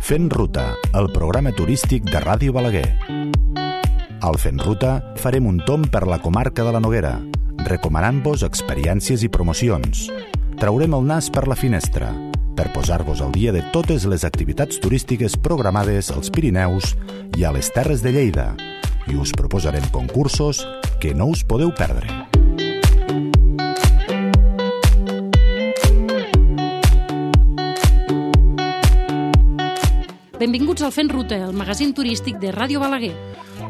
Fent Ruta, el programa turístic de Ràdio Balaguer. Al Fent Ruta farem un tomb per la comarca de la Noguera, recomanant-vos experiències i promocions. Traurem el nas per la finestra, per posar-vos al dia de totes les activitats turístiques programades als Pirineus i a les Terres de Lleida, i us proposarem concursos que no us podeu perdre. Benvinguts al Fent Ruta, el magazín turístic de Ràdio Balaguer.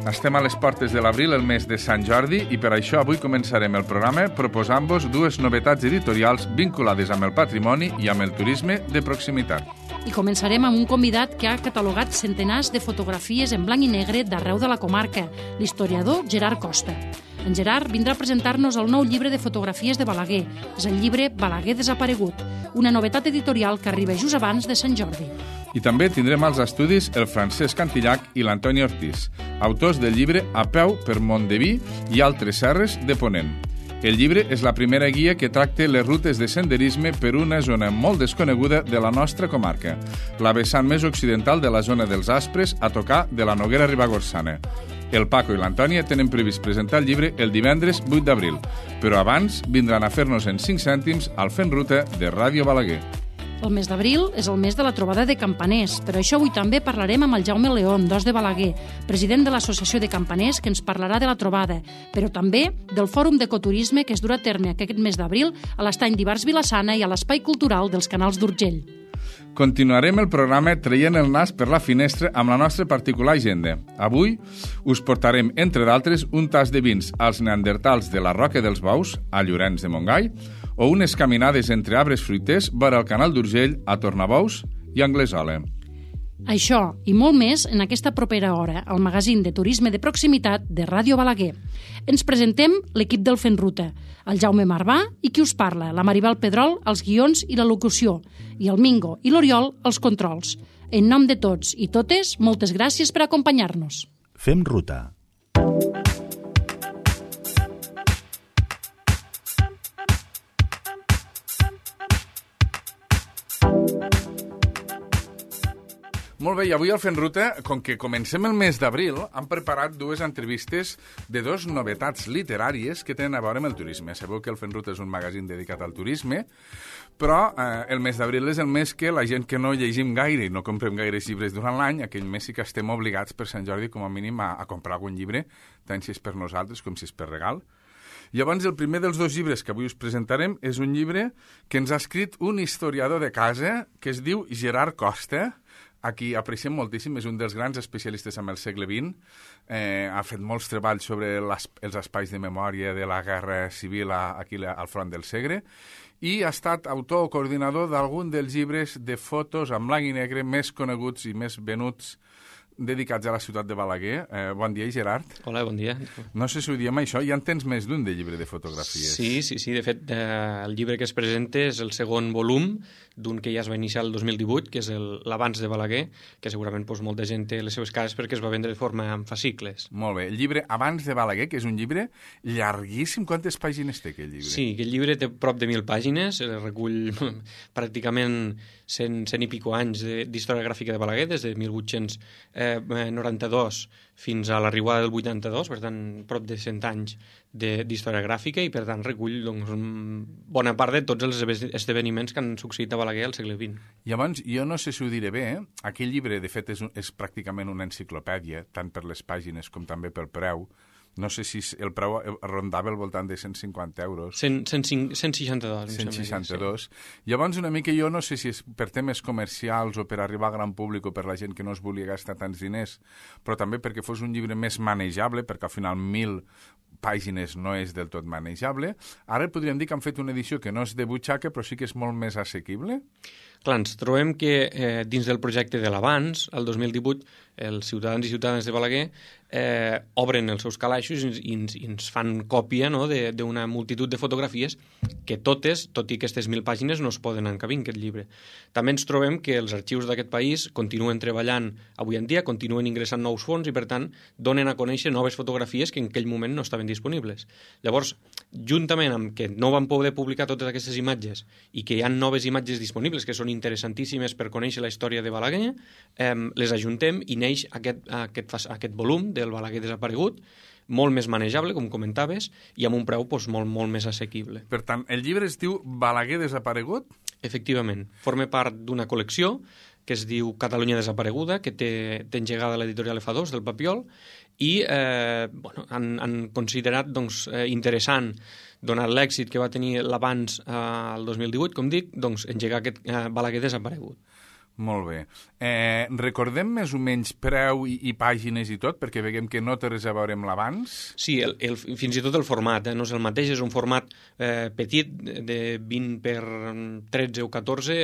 Estem a les portes de l'abril, el mes de Sant Jordi, i per això avui començarem el programa proposant-vos dues novetats editorials vinculades amb el patrimoni i amb el turisme de proximitat. I començarem amb un convidat que ha catalogat centenars de fotografies en blanc i negre d'arreu de la comarca, l'historiador Gerard Costa. En Gerard vindrà a presentar-nos el nou llibre de fotografies de Balaguer. És el llibre Balaguer desaparegut, una novetat editorial que arriba just abans de Sant Jordi. I també tindrem als estudis el Francesc Cantillac i l'Antoni Ortiz, autors del llibre A peu per Montdeví i altres serres de Ponent. El llibre és la primera guia que tracta les rutes de senderisme per una zona molt desconeguda de la nostra comarca, la vessant més occidental de la zona dels Aspres a tocar de la Noguera Ribagorçana. El Paco i l'Antònia tenen previst presentar el llibre el divendres 8 d'abril, però abans vindran a fer-nos en 5 cèntims al Fent Ruta de Ràdio Balaguer. El mes d'abril és el mes de la trobada de campaners. Per això avui també parlarem amb el Jaume León, d'Os de Balaguer, president de l'Associació de Campaners, que ens parlarà de la trobada, però també del Fòrum d'Ecoturisme que es durà a terme aquest mes d'abril a l'Estany d'Ivars Vilassana i a l'Espai Cultural dels Canals d'Urgell. Continuarem el programa traient el nas per la finestra amb la nostra particular agenda. Avui us portarem, entre d'altres, un tas de vins als neandertals de la Roca dels Bous, a Llorenç de Montgai, o unes caminades entre arbres fruiters vora el Canal d'Urgell a Tornabous i Anglesola. Això i molt més en aquesta propera hora, al magazín de turisme de proximitat de Ràdio Balaguer. Ens presentem l'equip del Fent Ruta, el Jaume Marvà i qui us parla, la Maribel Pedrol, els guions i la locució, i el Mingo i l'Oriol, els controls. En nom de tots i totes, moltes gràcies per acompanyar-nos. Fem Ruta. Molt bé, i avui al Fent Ruta, com que comencem el mes d'abril, han preparat dues entrevistes de dues novetats literàries que tenen a veure amb el turisme. Sabeu que el Fent Ruta és un magazín dedicat al turisme, però el mes d'abril és el mes que la gent que no llegim gaire i no comprem gaires llibres durant l'any, aquell mes sí que estem obligats per Sant Jordi com a mínim a comprar algun llibre, tant si és per nosaltres com si és per regal. Llavors, el primer dels dos llibres que avui us presentarem és un llibre que ens ha escrit un historiador de casa que es diu Gerard Costa, a qui apreciem moltíssim, és un dels grans especialistes en el segle XX, ha fet molts treballs sobre els espais de memòria de la Guerra Civil aquí al front del Segre, i ha estat autor o coordinador d'algun dels llibres de fotos en blanc i negre més coneguts i més venuts dedicats a la ciutat de Balaguer. Bon dia, Gerard. Hola, bon dia. No sé si ho diem això, ja en tens més d'un de llibre de fotografies. Sí. De fet, el llibre que es presenta és el segon volum d'un que ja es va iniciar el 2018, que és l'Abans de Balaguer, que segurament molta gent té les seves cases perquè es va vendre de forma en fascicles. Molt bé. El llibre Abans de Balaguer, que és un llibre llarguíssim. Quantes pàgines té aquell llibre? Sí, aquest llibre té prop de 1.000 pàgines, recull pràcticament 100 i pico anys d'història gràfica de Balaguer, des de 1892 fins a l'arribada del 82, per tant, prop de 100 anys d'història gràfica, i per tant recull bona part de tots els esdeveniments que han succeït a Balaguer al segle XX. Llavors, jo no sé si ho diré bé, aquell llibre, de fet, és pràcticament una enciclopèdia, tant per les pàgines com també pel preu. No sé si el preu rondava al voltant de 150 euros. 162. 162. Sí. Llavors, una mica jo no sé si és per temes comercials o per arribar a gran públic o per la gent que no es volia gastar tants diners, però també perquè fos un llibre més manejable, perquè al final 1.000 pàgines no és del tot manejable. Ara podríem dir que han fet una edició que no és de butxaca, però sí que és molt més assequible. Clar, ens trobem que dins del projecte de l'Abans, el 2018, els ciutadans i ciutadanes de Balaguer obren els seus calaixos i ens fan còpia, no?, d'una multitud de fotografies que totes, tot i aquestes 1.000 pàgines, no es poden encabir en aquest llibre. També ens trobem que els arxius d'aquest país continuen treballant avui en dia, continuen ingressant nous fons i, per tant, donen a conèixer noves fotografies que en aquell moment no estaven disponibles. Llavors, juntament amb que no van poder publicar totes aquestes imatges i que hi ha noves imatges disponibles que són interessantíssimes per conèixer la història de Balaguer, les ajuntem i neix aquest volum del Balaguer desaparegut, molt més manejable, com comentaves, i amb un preu molt més assequible. Per tant, el llibre es diu Balaguer desaparegut? Efectivament. Forma part d'una col·lecció que es diu Catalunya desapareguda, que té engegada l'editorial F2 del Papiol, i han considerat interessant, donat l'èxit que va tenir l'abans al 2018, com dic, engegar aquest Balaguer desaparegut. Molt bé. Recordem més o menys preu i pàgines i tot, perquè veiem que no té res a veure amb l'abans. Sí, fins i tot el format, no és el mateix, és un format petit, de 20 per 13 o 14,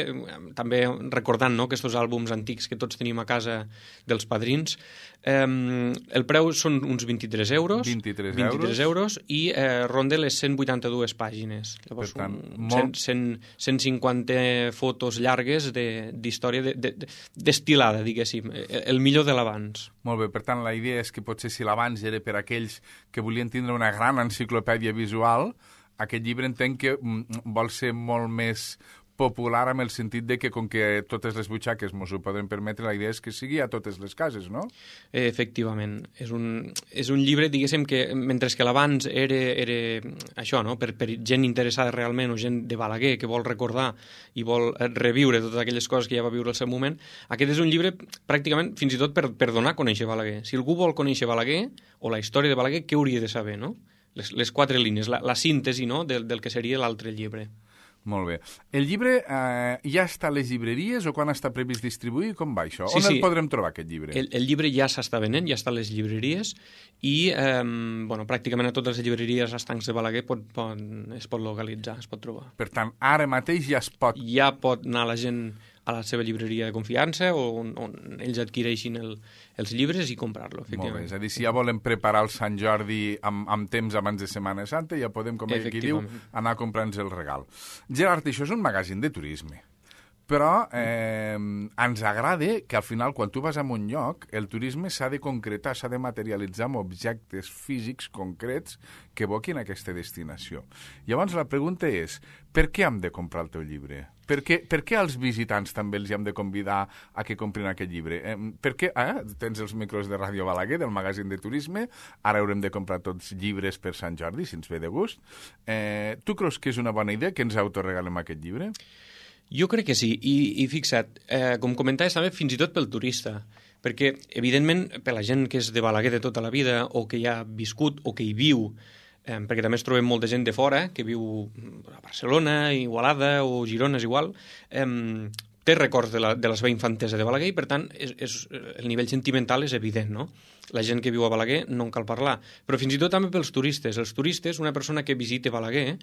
també recordant aquests àlbums antics que tots tenim a casa dels padrins. El preu són uns 23 euros. 23 euros. I ronda les 182 pàgines. Llavors, per tant, 150 fotos llargues d'història destil·lada, diguéssim, el millor de l'abans. Molt bé, per tant, la idea és que potser si l'abans era per aquells que volien tindre una gran enciclopèdia visual, aquest llibre entenc que vol ser molt més popular amb el sentit de que, com que totes les butxaques ens ho poden permetre, la idea és que sigui a totes les cases, no? Efectivament. És un llibre, diguéssim, que mentre que l'abans era això, no? Per gent interessada realment o gent de Balaguer que vol recordar i vol reviure totes aquelles coses que ja va viure al seu moment, aquest és un llibre pràcticament fins i tot per donar a conèixer Balaguer. Si algú vol conèixer Balaguer o la història de Balaguer, què hauria de saber, no? Les 4 línies, la síntesi, no? del que seria l'altre llibre. Molt bé. El llibre ja està a les llibreries o quan està previst distribuir? Com va això? On el podrem trobar, aquest llibre? El llibre ja s'està venent, ja està a les llibreries i pràcticament a totes les llibreries estancs de Balaguer es pot localitzar, es pot trobar. Per tant, ara mateix ja es pot... Ja pot anar la gent a la seva llibreria de confiança o on ells adquireixin els llibres i comprar-lo, efectivament. Molt bé, és a dir, si ja volem preparar el Sant Jordi amb temps abans de Setmana Santa, ja podem, com ell qui diu, anar a comprar-nos el regal. Gerard, això és un magazín de turisme, però ens agrada que al final, quan tu vas a un lloc, el turisme s'ha de concretar, s'ha de materialitzar amb objectes físics concrets que evoquin aquesta destinació. Llavors la pregunta és, per què hem de comprar el teu llibre? Per què als visitants també els hem de convidar a que comprin aquest llibre? Per què? Tens els micros de Ràdio Balaguer, del magazín de turisme, ara haurem de comprar tots llibres per Sant Jordi, si ens ve de gust. Tu creus que és una bona idea que ens autoregalem aquest llibre? Jo crec que sí, i fixa't, com comentaves també, fins i tot pel turista, perquè, evidentment, per la gent que és de Balaguer de tota la vida, o que hi ha viscut, o que hi viu, perquè també es trobem molta gent de fora, que viu a Barcelona, Igualada o Girona, és igual, té records de la seva infantesa de Balaguer i, per tant, el nivell sentimental és evident, no? La gent que viu a Balaguer no en cal parlar. Però fins i tot també pels turistes. Els turistes, una persona que visita Balaguer,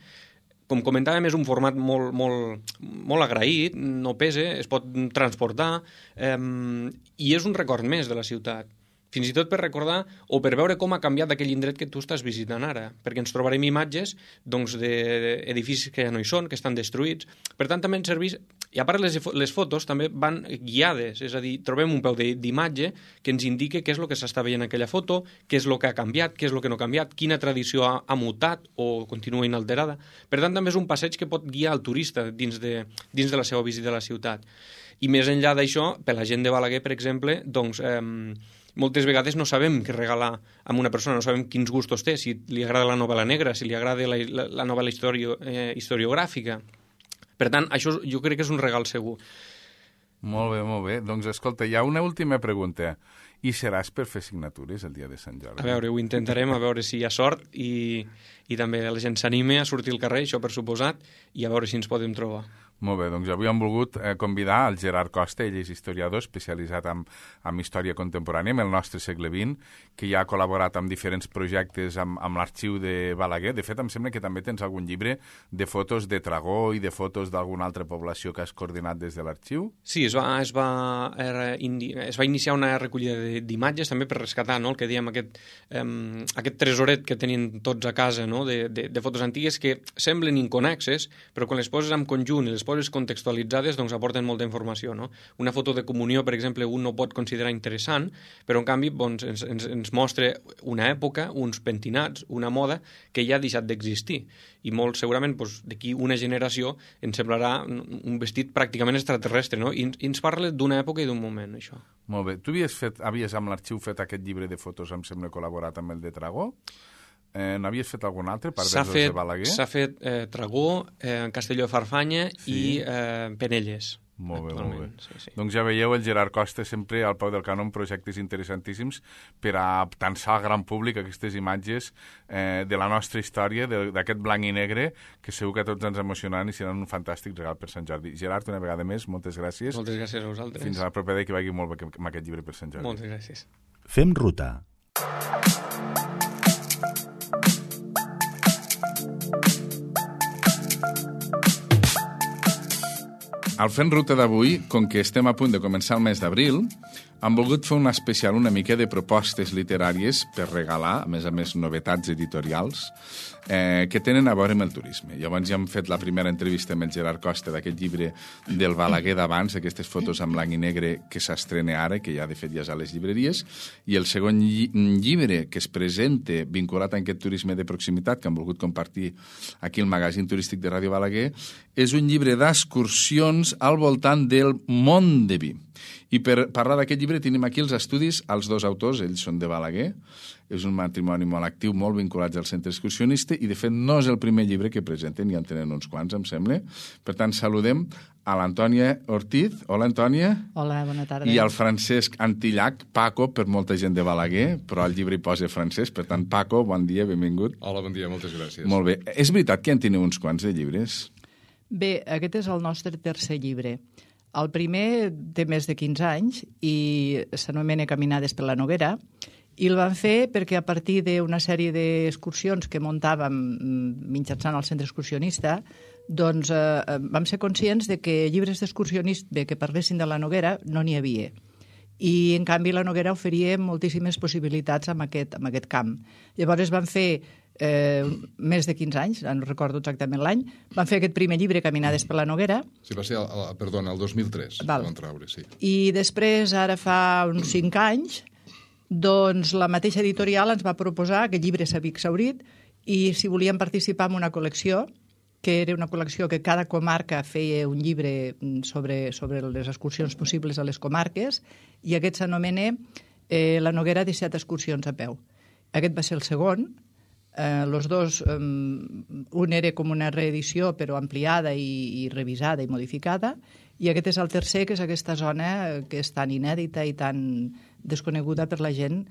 com comentàvem, és un format molt agraït, no pesa, es pot transportar, i és un record més de la ciutat. Fins i tot per recordar o per veure com ha canviat aquell indret que tu estàs visitant ara, perquè ens trobarem imatges d'edificis que ja no hi són, que estan destruïts. Per tant, també ens serveix... I a part, les fotos també van guiades, és a dir, trobem un peu d'imatge que ens indica què és el que s'està veient en aquella foto, què és el que ha canviat, què és el que no ha canviat, quina tradició ha mutat o continua inalterada. Per tant, també és un passeig que pot guiar el turista dins de la seva visita a la ciutat. I més enllà d'això, per la gent de Balaguer, per exemple, doncs... moltes vegades no sabem què regalar a una persona, no sabem quins gustos té, si li agrada la novel·la negra, si li agrada la novel·la historiogràfica. Per tant, això jo crec que és un regal segur. Molt bé, molt bé. Doncs escolta, hi ha una última pregunta. I seràs per fer signatures el dia de Sant Jordi? A veure, ho intentarem, a veure si hi ha sort i també la gent s'anime a sortir al carrer, això per suposat, i a veure si ens podem trobar. Molt bé, doncs avui hem volgut convidar el Gerard Costa, ell és historiador especialitzat en història contemporània, en el nostre segle XX, que ja ha col·laborat amb diferents projectes amb l'arxiu de Balaguer. De fet, em sembla que també tens algun llibre de fotos de Tragó i de fotos d'alguna altra població que has coordinat des de l'arxiu. Sí, es va iniciar una recollida d'imatges també per rescatar, no?, el que dèiem, aquest tresoret que tenien tots a casa, no?, de fotos antigues que semblen inconnexes, però quan les poses en conjunt i les poses contextualitzades, doncs aporten molta informació, no? Una foto de comunió, per exemple, un no pot considerar interessant, però en canvi doncs, ens mostra una època, uns pentinats, una moda que ja ha deixat d'existir. I molt segurament doncs, d'aquí una generació ens semblarà un vestit pràcticament extraterrestre, no? I ens parla d'una època i d'un moment, això. Molt bé. Tu havies amb l'arxiu fet aquest llibre de fotos, em sembla, col·laborat amb el de Tragó? N'havies fet algun altre, per dels de Balaguer? S'ha fet Tragó, Castelló de Farfanya i Penelles. Molt bé, molt bé. Sí. Doncs ja veieu, el Gerard Costa sempre al peu del canó amb projectes interessantíssims per a tensar al gran públic aquestes imatges de la nostra història, d'aquest blanc i negre, que segur que a tots ens emocionaran i seran un fantàstic regal per Sant Jordi. Gerard, una vegada més, moltes gràcies. Moltes gràcies a vosaltres. Fins a la propera i que vagi molt bé amb aquest llibre per Sant Jordi. Moltes gràcies. Fem ruta. Al Fent Ruta d'avui, com que estem a punt de començar el mes d'abril, hem volgut fer un especial una mica de propostes literàries per regalar, a més novetats editorials, que tenen a veure amb el turisme. Llavors ja hem fet la primera entrevista amb el Gerard Costa d'aquest llibre del Balaguer d'abans, aquestes fotos en blanc i negre que s'estrena ara, que ja de fet ja és a les llibreries, i el segon llibre que es presenta vinculat a aquest turisme de proximitat que hem volgut compartir aquí al magazín turístic de Ràdio Balaguer, és un llibre d'excursions al voltant del Mont de Vi. I per parlar d'aquest llibre tenim aquí els estudis, els dos autors, ells són de Balaguer, és un matrimoni molt actiu, molt vinculats al centre excursionista, i de fet no és el primer llibre que presenten, ja en tenen uns quants, em sembla. Per tant, saludem a l'Antònia Ortiz. Hola, Antònia. Hola, bona tarda. I al Francesc Antillac, Paco, per molta gent de Balaguer, però al llibre hi posa francès. Per tant, Paco, bon dia, benvingut. Hola, bon dia, moltes gràcies. Molt bé. És veritat que en teniu uns quants de llibres? Bé, aquest és el nostre tercer llibre. El primer té més de 15 anys i s'anomena Caminades per la Noguera, i el vam fer perquè a partir d'una sèrie d'excursions que muntàvem mitjançant el centre excursionista, doncs vam ser conscients de que llibres d'excursionista que parlessin de la Noguera no n'hi havia. I, en canvi, la Noguera oferia moltíssimes possibilitats en aquest camp. Llavors vam fer més de 15 anys, no recordo exactament l'any, van fer aquest primer llibre, Caminades per la Noguera. Sí, va ser, el 2003, Val. Van treure, sí. I després, ara fa uns 5 anys, doncs la mateixa editorial ens va proposar, aquest llibre s'havia exhaurit, i si volíem participar en una col·lecció, que era una col·lecció que cada comarca feia un llibre sobre les excursions possibles a les comarques, i aquest s'anomena La Noguera, 17 excursions a peu. Aquest va ser el segon. Los dos, un era com una reedició però ampliada i revisada i modificada, i aquest és el tercer, que és aquesta zona que és tan inèdita i tan desconeguda per la gent,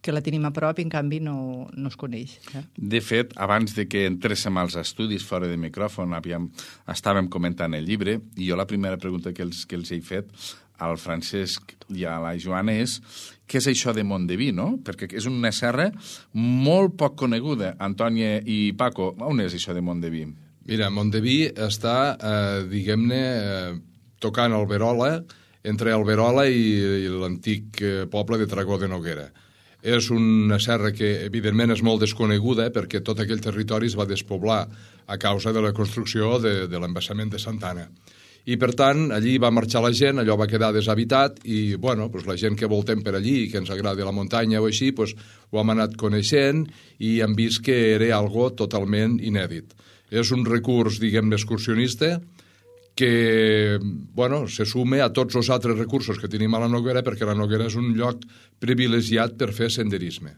que la tenim a prop i en canvi no es coneix. De fet, abans de que entréssim als estudis fora de micròfon, estàvem comentant el llibre, i jo la primera pregunta que els he fet al Francesc i a la Joana és què és això de Mont de Vi, no? Perquè és una serra molt poc coneguda. Antònia i Paco, on és això de Mont de Vi? Mira, Mont de Vi està, diguem-ne, tocant Alberola, entre Alberola i l'antic poble de Tragó de Noguera. És una serra que, evidentment, és molt desconeguda perquè tot aquell territori es va despoblar a causa de la construcció de l'embassament de Santa Anna. I, per tant, allí va marxar la gent, allò va quedar deshabitat i, bueno, doncs la gent que voltem per allí i que ens agrada la muntanya o així, doncs ho hem anat coneixent i hem vist que era algo totalment inèdit. És un recurs, diguem-ne, excursionista que, bueno, se sume a tots els altres recursos que tenim a la Noguera, perquè la Noguera és un lloc privilegiat per fer senderisme,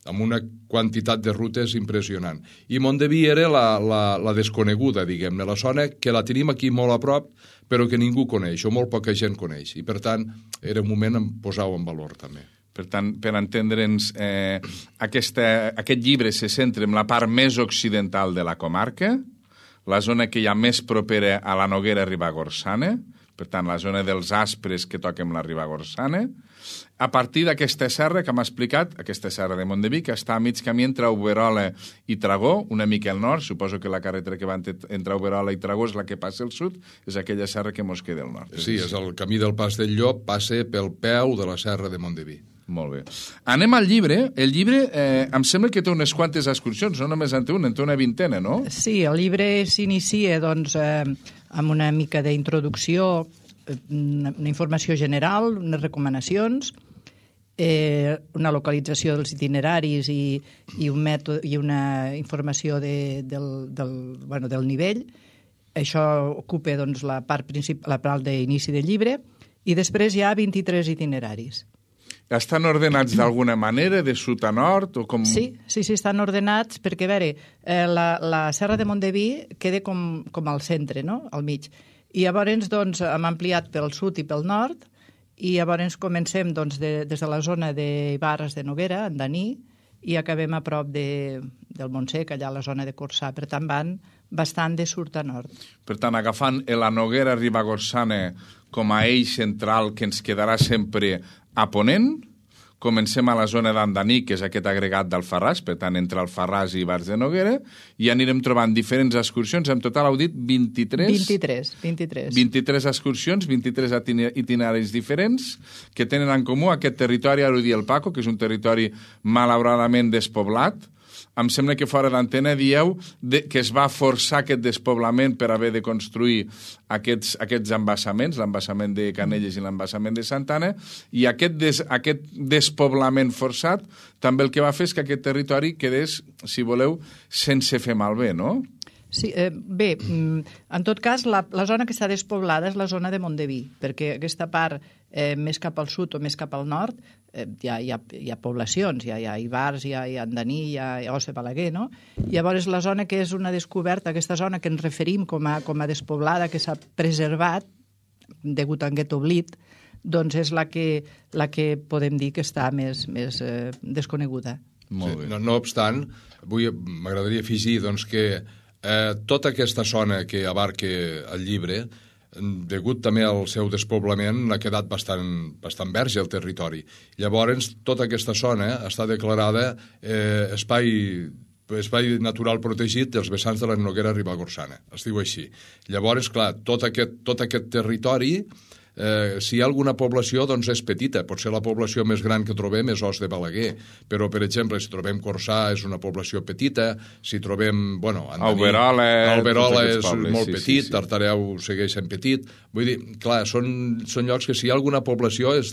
amb una quantitat de rutes impressionant. I Mont de Vi era la desconeguda, diguem-ne, la zona que la tenim aquí molt a prop, però que ningú coneix, o molt poca gent coneix. I, per tant, era un moment en posar-ho en valor, també. Per tant, per entendre'ns, aquest llibre se centra en la part més occidental de la comarca, la zona que hi ha més propera a la Noguera Ribagorçana, per tant, la zona dels Aspres que toquem la Ribagorçana, a partir d'aquesta serra que m'ha explicat, aquesta serra de Mont de Vi, que està a mig camí entre Auberola i Tragó, una mica al nord, suposo que la carretera que va entre Auberola i Tragó és la que passa al sud, és aquella serra que mos queda al nord. Sí, és el camí del Pas del Llop, passa pel peu de la serra de Mont de Vi. Molt bé. Anem al llibre. El llibre em sembla que té unes quantes excursions, no només en té una, en té una vintena, no? Sí, el llibre s'inicia amb una mica d'introducció, una informació general, unes recomanacions, una localització dels itineraris i un mètode i una informació del nivell. Això ocupa la part d'inici del llibre, i després hi ha 23 itineraris. Estan ordenats d'alguna manera, de sud a nord? O com... Sí, estan ordenats perquè, a veure, la Serra de Mondeví queda com al centre, no?, al mig. I llavors hem ampliat pel sud i pel nord, i llavors comencem des de la zona d'Ibars de Noguera, en Daní, i acabem a prop del Montsec, allà a la zona de Corçà. Per tant, van bastant de sud a nord. Per tant, agafant la Noguera Ribagorçana com a eix central que ens quedarà sempre a ponent, comencem a la zona d'Andaní, que és aquest agregat d'Alfarràs, per tant, entre Alfarràs i Ibars de Noguera, i anirem trobant diferents excursions. En total heu dit 23? 23 excursions, 23 itineraris diferents, que tenen en comú aquest territori, ara ho diu el Paco, que és un territori malauradament despoblat. Em sembla que fora d'antena dieu que es va forçar aquest despoblament per haver de construir aquests embassaments, l'embassament de Canelles i l'embassament de Santana, i aquest despoblament forçat també el que va fer és que aquest territori quedés, si voleu, sense fer malbé, no? Sí, bé, en tot cas, la zona que està despoblada és la zona de Mondeví, perquè aquesta part més cap al sud o més cap al nord hi ha poblacions, hi ha Ibars, hi ha Andaní, hi ha Os de Balaguer, no? Llavors, la zona que és una descoberta, aquesta zona que ens referim com a despoblada, que s'ha preservat degut a aquest oblit, doncs és la que podem dir que està més desconeguda. Molt bé. No obstant, m'agradaria afegir que tota aquesta zona que abarca el llibre, degut també al seu despoblament, ha quedat bastant verge el territori. Llavors, tota aquesta zona està declarada espai natural protegit dels vessants de la Noguera Ribagorçana. Es diu així. Llavors, clar, tot aquest territori, si hi ha alguna població, doncs és petita. Potser la població més gran que trobem és Os de Balaguer, però, per exemple, si trobem Corçà és una població petita, si trobem, Alberola és molt petit, Tartareu segueix sent petit. Vull dir, clar, són llocs que si hi ha alguna població és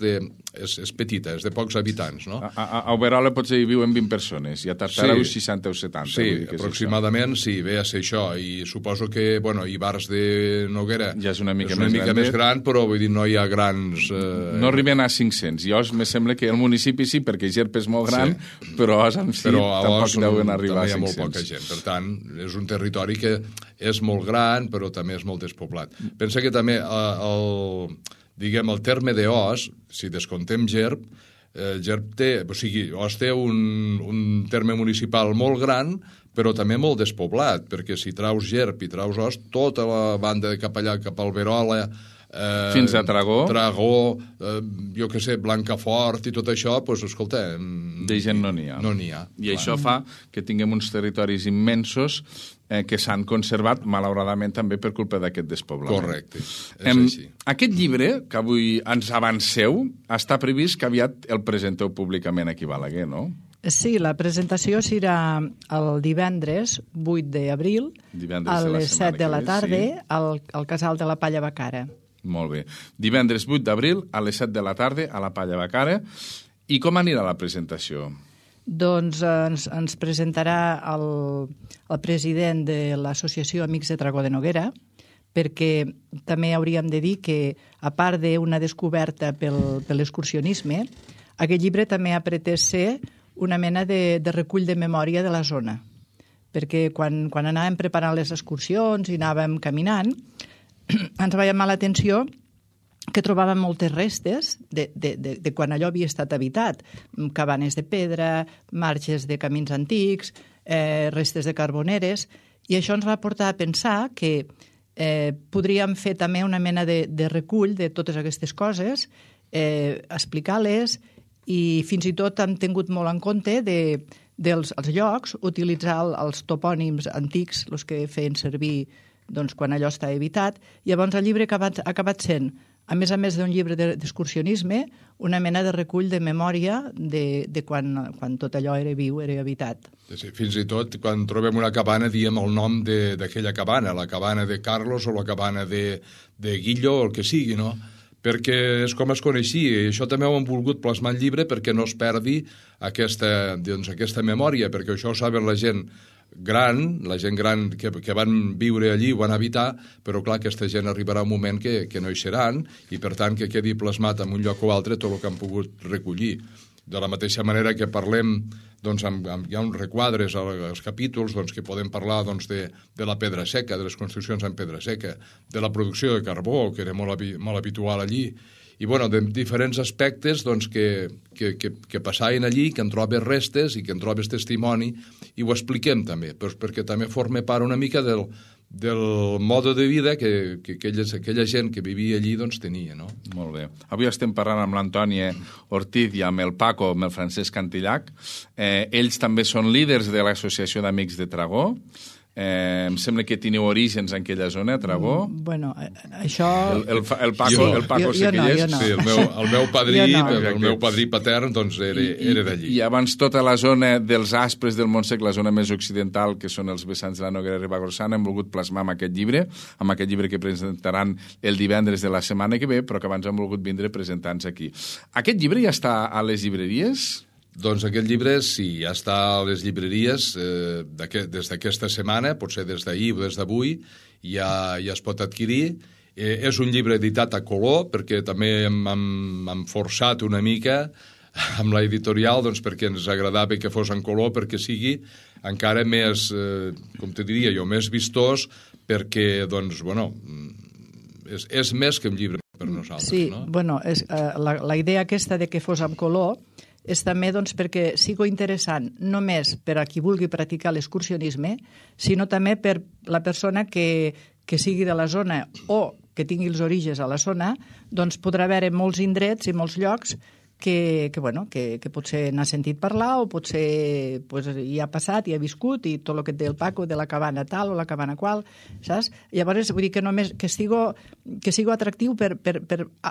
petita, és de pocs habitants, no? A Alberola potser hi viuen 20 persones, i a Tartareu 60 o 70. Sí, aproximadament, sí, ve a ser això, i suposo que, Ibars de Noguera ja és una mica més gran, però vull dir, no hi ha grans... No arriben a 500. I Os, me sembla que el municipi sí, perquè Gerp és molt gran, però Os en si tampoc deuen arribar a 500. També hi ha molt poca gent. Per tant, és un territori que és molt gran, però també és molt despoblat. Pensa que també el terme d'Os, si descontem Gerp, Os té un terme municipal molt gran, però també molt despoblat, perquè si traus Gerp i traus Os, tota la banda de cap allà, cap al Alberola, fins a Tragó, jo què sé, Blancafort i tot això, doncs, escolta... De gent no n'hi ha. No n'hi ha. I això fa que tinguem uns territoris immensos que s'han conservat, malauradament, també per culpa d'aquest despoblament. Correcte, és així. Aquest llibre, que avui ens avanceu, està previst que aviat el presenteu públicament aquí a Balaguer, no? Sí, la presentació serà el divendres 8 d'abril a les 7 de la tarda al Casal de la Palla Bacara. Molt bé. Divendres 8 d'abril a les 7 de la tarda a la Palla Bacara. I com anirà la presentació? Doncs ens presentarà el president de l'Associació Amics de Tragó de Noguera, perquè també hauríem de dir que, a part d'una descoberta per l'excursionisme, aquest llibre també ha pretès ser una mena de recull de memòria de la zona. Perquè quan anàvem preparant les excursions i anàvem caminant, ens va llamar l'atenció que trobàvem moltes restes de quan allò havia estat habitat. Cabanes de pedra, marges de camins antics, restes de carboneres, i això ens va portar a pensar que podríem fer també una mena de recull de totes aquestes coses, explicar-les, i fins i tot hem tingut molt en compte dels llocs, utilitzar els topònims antics, els que feien servir quan allò està habitat. Llavors el llibre ha acabat sent a més d'un llibre d'excursionisme, una mena de recull de memòria de quan tot allò era viu, era habitat. Sí, fins i tot, quan trobem una cabana, diem el nom d'aquella cabana, la cabana de Carlos o la cabana de Guillo o el que sigui, no? Perquè és com es coneixia, i això també ho hem volgut plasmar al llibre perquè no es perdi aquesta memòria, perquè això ho saben la gent gran que van viure allí, ho van habitar, però clar, aquesta gent arribarà un moment que no hi seran, i per tant que quedi plasmat en un lloc o altre tot el que han pogut recollir. De la mateixa manera que parlem, doncs, hi ha uns requadres als capítols que podem parlar de la pedra seca, de les construccions en pedra seca, de la producció de carbó, que era molt habitual allí, i de diferents aspectes que passaven allí, que en trobes restes i que en trobes testimoni, i ho expliquem també, perquè també forma part una mica del mode de vida que aquella gent que vivia allí tenia, no? Molt bé. Avui estem parlant amb l'Antònia Ortiz i amb el Paco, amb el Francesc Cantillac. Ells també són líders de l'Associació d'Amics de Tragó. Em sembla que teniu orígens en aquella zona, a Tragó. Bueno, això... El Paco sé que hi és. No. Sí, el meu padrí patern era d'allí. I abans tota la zona dels Aspres del Montsec, la zona més occidental, que són els vessants de la Noguera Ribagorçana, hem volgut plasmar amb aquest llibre que presentaran el divendres de la setmana que ve, però que abans hem volgut vindre presentant-nos aquí. Aquest llibre ja està a les llibreries? Doncs aquest llibre, sí, ja està a les llibreries des d'aquesta setmana, potser des d'ahir o des d'avui, ja es pot adquirir. És un llibre editat a color, perquè també hem forçat una mica amb l'editorial, perquè ens agradava que fos en color, perquè sigui encara més, com te diria jo, més vistós, perquè, és més que un llibre per nosaltres. Sí, no? La idea aquesta de que fos en color és també perquè sigui interessant només per a qui vulgui practicar l'excursionisme, sinó també per la persona que sigui de la zona o que tingui els orígens a la zona, podrà veure molts indrets i molts llocs que potser n'ha sentit parlar o potser hi ha passat, hi ha viscut, i tot el que et deia el Paco de la cabana tal o la cabana qual, saps? Llavors, vull dir que només que sigui atractiu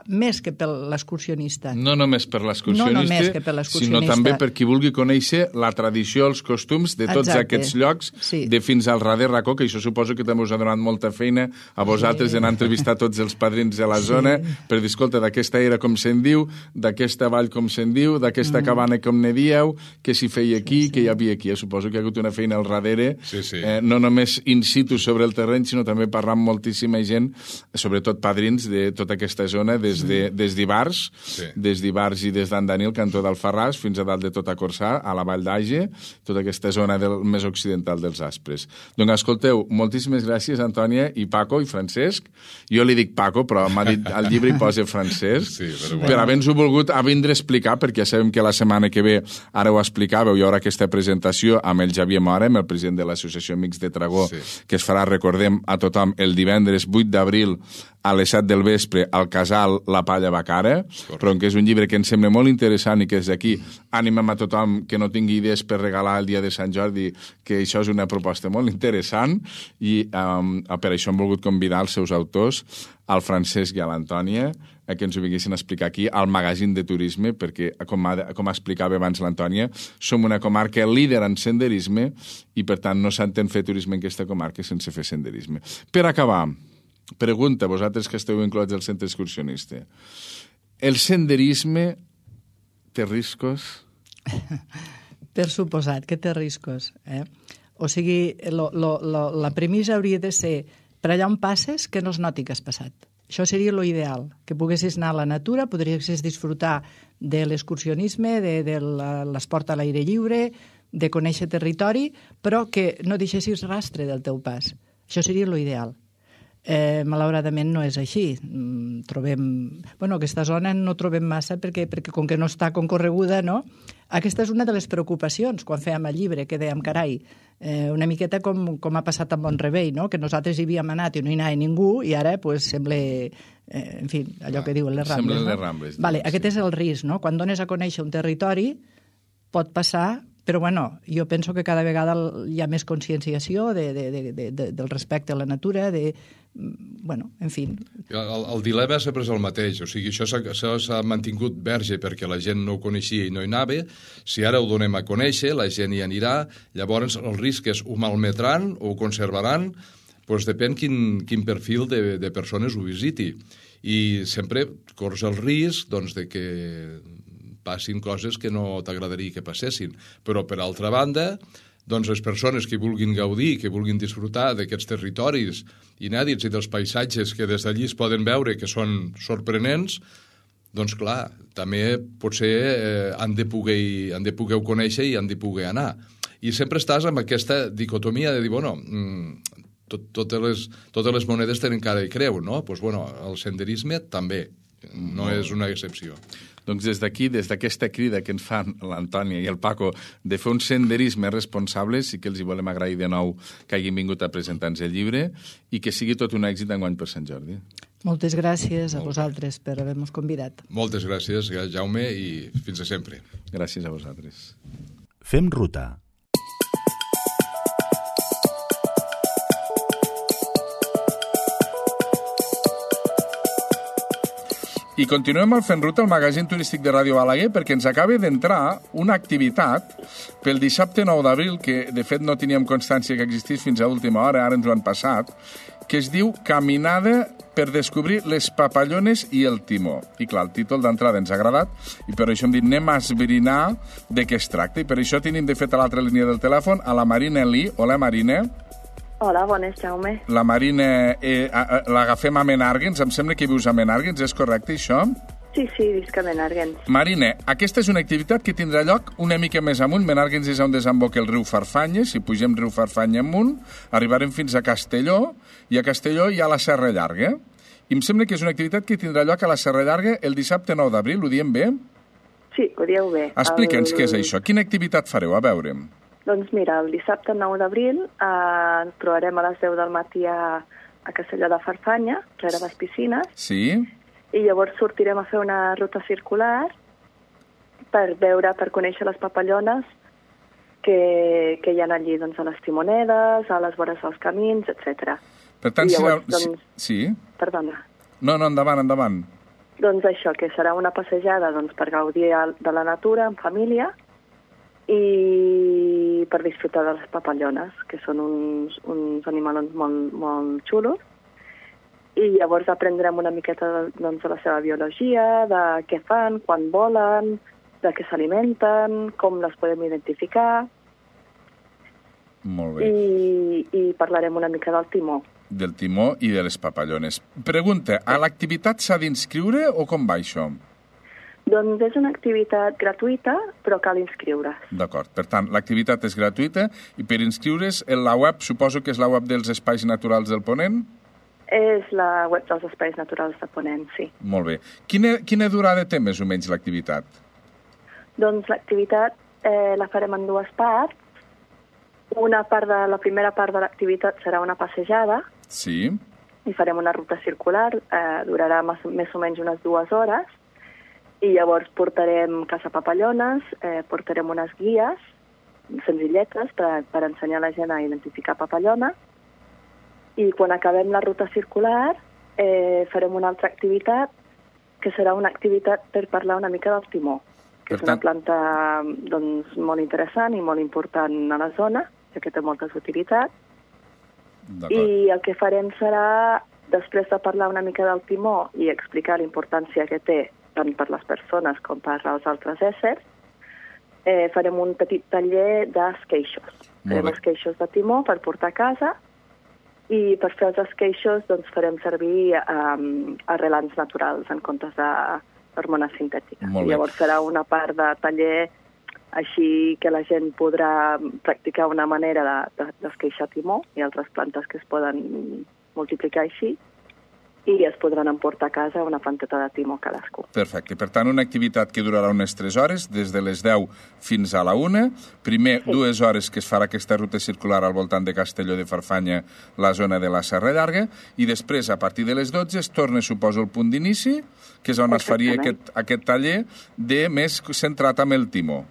més que per l'excursionista. No només per l'excursionista, sinó també per qui vulgui conèixer la tradició, els costums de tots aquests llocs, de fins al darrer racó, que això suposo que també us ha donat molta feina a vosaltres d'anar a entrevistar tots els padrins de la zona per dir, escolta, d'aquesta era com se'n diu, d'aquesta vall com se'n diu, d'aquesta cabana com ne dieu, què s'hi feia aquí, què hi havia aquí. Suposo que hi ha hagut una feina al darrere, no només in situ sobre el terreny, sinó també parlant amb moltíssima gent, sobretot padrins de tota aquesta zona, des d'Ivars, i des d'Andanil, cantó d'Alfarràs, fins a dalt de tota Corçà, a la Vall d'Age, tota aquesta zona més occidental dels Aspres. Doncs escolteu, moltíssimes gràcies, Antònia, i Paco, i Francesc. Jo li dic Paco, però m'ha dit al llibre hi posa Francesc, per haver-nos-ho volgut vindre a explicar, perquè ja sabem que la setmana que ve, ara ho explicàveu, hi haurà aquesta presentació amb el Xavier Mora, amb el president de l'Associació Amics de Tragó, que es farà, recordem a tothom, el divendres 8 d'abril a les 7 del vespre al casal La Palla Bacara, però que és un llibre que ens sembla molt interessant i que des d'aquí animem a tothom que no tingui idees per regalar el dia de Sant Jordi, que això és una proposta molt interessant, i per això hem volgut convidar els seus autors, al Francesc i a l'Antònia, que ens ho vinguessin a explicar aquí al magazín de turisme, perquè, com explicava abans l'Antònia, som una comarca líder en senderisme i, per tant, no s'entén fer turisme en aquesta comarca sense fer senderisme. Per acabar, pregunta, vosaltres que esteu inclots al centre excursionista, el senderisme té riscos? Per suposat que té riscos. O sigui, la premissa hauria de ser per allà on passes que no es noti que has passat. Això seria l'ideal, que poguessis anar a la natura, podries disfrutar de l'excursionisme, de l'esport a l'aire lliure, de conèixer territori, però que no deixessis rastre del teu pas. Això seria l'ideal. Malauradament no és així. Aquesta zona no trobem massa perquè com que no està concorreguda, no? Aquesta és una de les preocupacions quan fèiem el llibre, que dèiem, carai, una miqueta com ha passat amb Montrevell, no? Que nosaltres hi havíem anat i no hi anava ningú i ara sembla, en fi, allò que diuen les Rambles. Semblen les Rambles. Aquest és el risc, no? Quan dones a conèixer un territori pot passar Però, bueno, jo penso que cada vegada hi ha més conscienciació del respecte a la natura, bueno, en fi. El dilema sempre és el mateix, o sigui, això s'ha mantingut verge perquè la gent no ho coneixia i no hi anava. Si ara ho donem a conèixer, la gent hi anirà, llavors el risc és ho malmetran o ho conservaran, doncs depèn quin perfil de persones ho visiti. I sempre corres el risc doncs, de que passin coses que no t'agradaria que passessin. Però, per altra banda, doncs les persones que vulguin gaudir, que vulguin disfrutar d'aquests territoris inèdits i dels paisatges que des d'allí es poden veure que són sorprenents, doncs clar, també potser han de poder conèixer i han de poder anar. I sempre estàs amb aquesta dicotomia de dir, bueno, totes les monedes tenen cara i creu, no? Doncs, bueno, el senderisme també, no és una excepció. Doncs des d'aquí, des d'aquesta crida que ens fan l'Antònia i el Paco de fer un senderisme responsable, sí que els hi volem agrair de nou que hagin vingut a presentar-nos el llibre i que sigui tot un èxit d'enguany per Sant Jordi. Moltes gràcies a vosaltres per haver-nos convidat. Moltes gràcies, Jaume, i fins a sempre. Gràcies a vosaltres. Fem ruta. I continuem al Fent Ruta, el magazín turístic de Ràdio Balaguer, perquè ens acaba d'entrar una activitat pel dissabte 9 d'abril, que de fet no teníem constància que existís fins a última hora, ara ens ho han passat, que es diu Caminada per descobrir les papallones i el timó. I clar, el títol d'entrada ens ha agradat i per això hem dit anem a esbrinar de què es tracta. I per això tenim de fet a l'altra línia del telèfon a la Marina Elí. Hola, Marina. Hola, bones, Jaume. La Marina l'agafem a Menàrguens. Em sembla que vius a Menàrguens, és correcte, això? Sí, visc a Menàrguens. Marina, aquesta és una activitat que tindrà lloc una mica més amunt. Menàrguens és on desemboca el riu Farfanya. Si pugem riu Farfanya amunt, arribarem fins a Castelló, i a Castelló hi ha la Serra Llarga. I em sembla que és una activitat que tindrà lloc a la Serra Llarga el dissabte 9 d'abril. Ho diem bé? Sí, ho dieu bé. Explica'ns què és això. Quina activitat fareu? A veure. Doncs mira, el dissabte 9 d'abril ens trobarem a les 10 del matí a Castelló de Farfanya, rere les piscines. Sí. I llavors sortirem a fer una ruta circular per conèixer les papallones que hi ha allí, doncs, a les timonedes, a les vores dels camins, etc. Per tant, llavors, sí. Perdona. No, endavant. Doncs això, que serà una passejada per gaudir de la natura en família i per disfrutar de les papallones, que són uns animalons molt, molt xulos. I llavors aprendrem una miqueta de la seva biologia, de què fan, quan volen, de què s'alimenten, com les podem identificar. Molt bé. I parlarem una mica del timó. Del timó i de les papallones. Pregunta, a l'activitat s'ha d'inscriure o com va això? Doncs és una activitat gratuïta, però cal inscriure's. D'acord. Per tant, l'activitat és gratuïta i per inscriure's la web, suposo que és la web dels Espais Naturals del Ponent? És la web dels Espais Naturals de Ponent, sí. Molt bé. Quina durada té més o menys l'activitat? Doncs l'activitat la farem en dues parts. La primera part de l'activitat serà una passejada. Sí. I farem una ruta circular, durarà més o menys unes 2 hores. I llavors portarem caçapapallones, portarem unes guies senzilletes per ensenyar a la gent a identificar papallona. I quan acabem la ruta circular farem una altra activitat, que serà una activitat per parlar una mica del timó, que és una planta molt interessant i molt important a la zona, ja que té moltes utilitats. I el que farem serà, després de parlar una mica del timó i explicar la importància que té tant per les persones com per als altres éssers, farem un petit taller d'esqueixos. Farem esqueixos de timó per portar a casa i per fer els esqueixos farem servir arrelants naturals en comptes d'hormones sintètiques. I llavors serà una part de taller així que la gent podrà practicar una manera d'esqueixar timó i altres plantes que es poden multiplicar així, i es podran emportar a casa una planteta de timó cadascú. Perfecte. Per tant, una activitat que durarà unes 3 hores, des de les 10 fins a la 1. Primer, 2 hores que es farà aquesta ruta circular al voltant de Castelló de Farfanya, la zona de la Serra Llarga, i després, a partir de les 12, es torna, suposo, el punt d'inici, que és on es faria aquest taller més centrat amb el timó.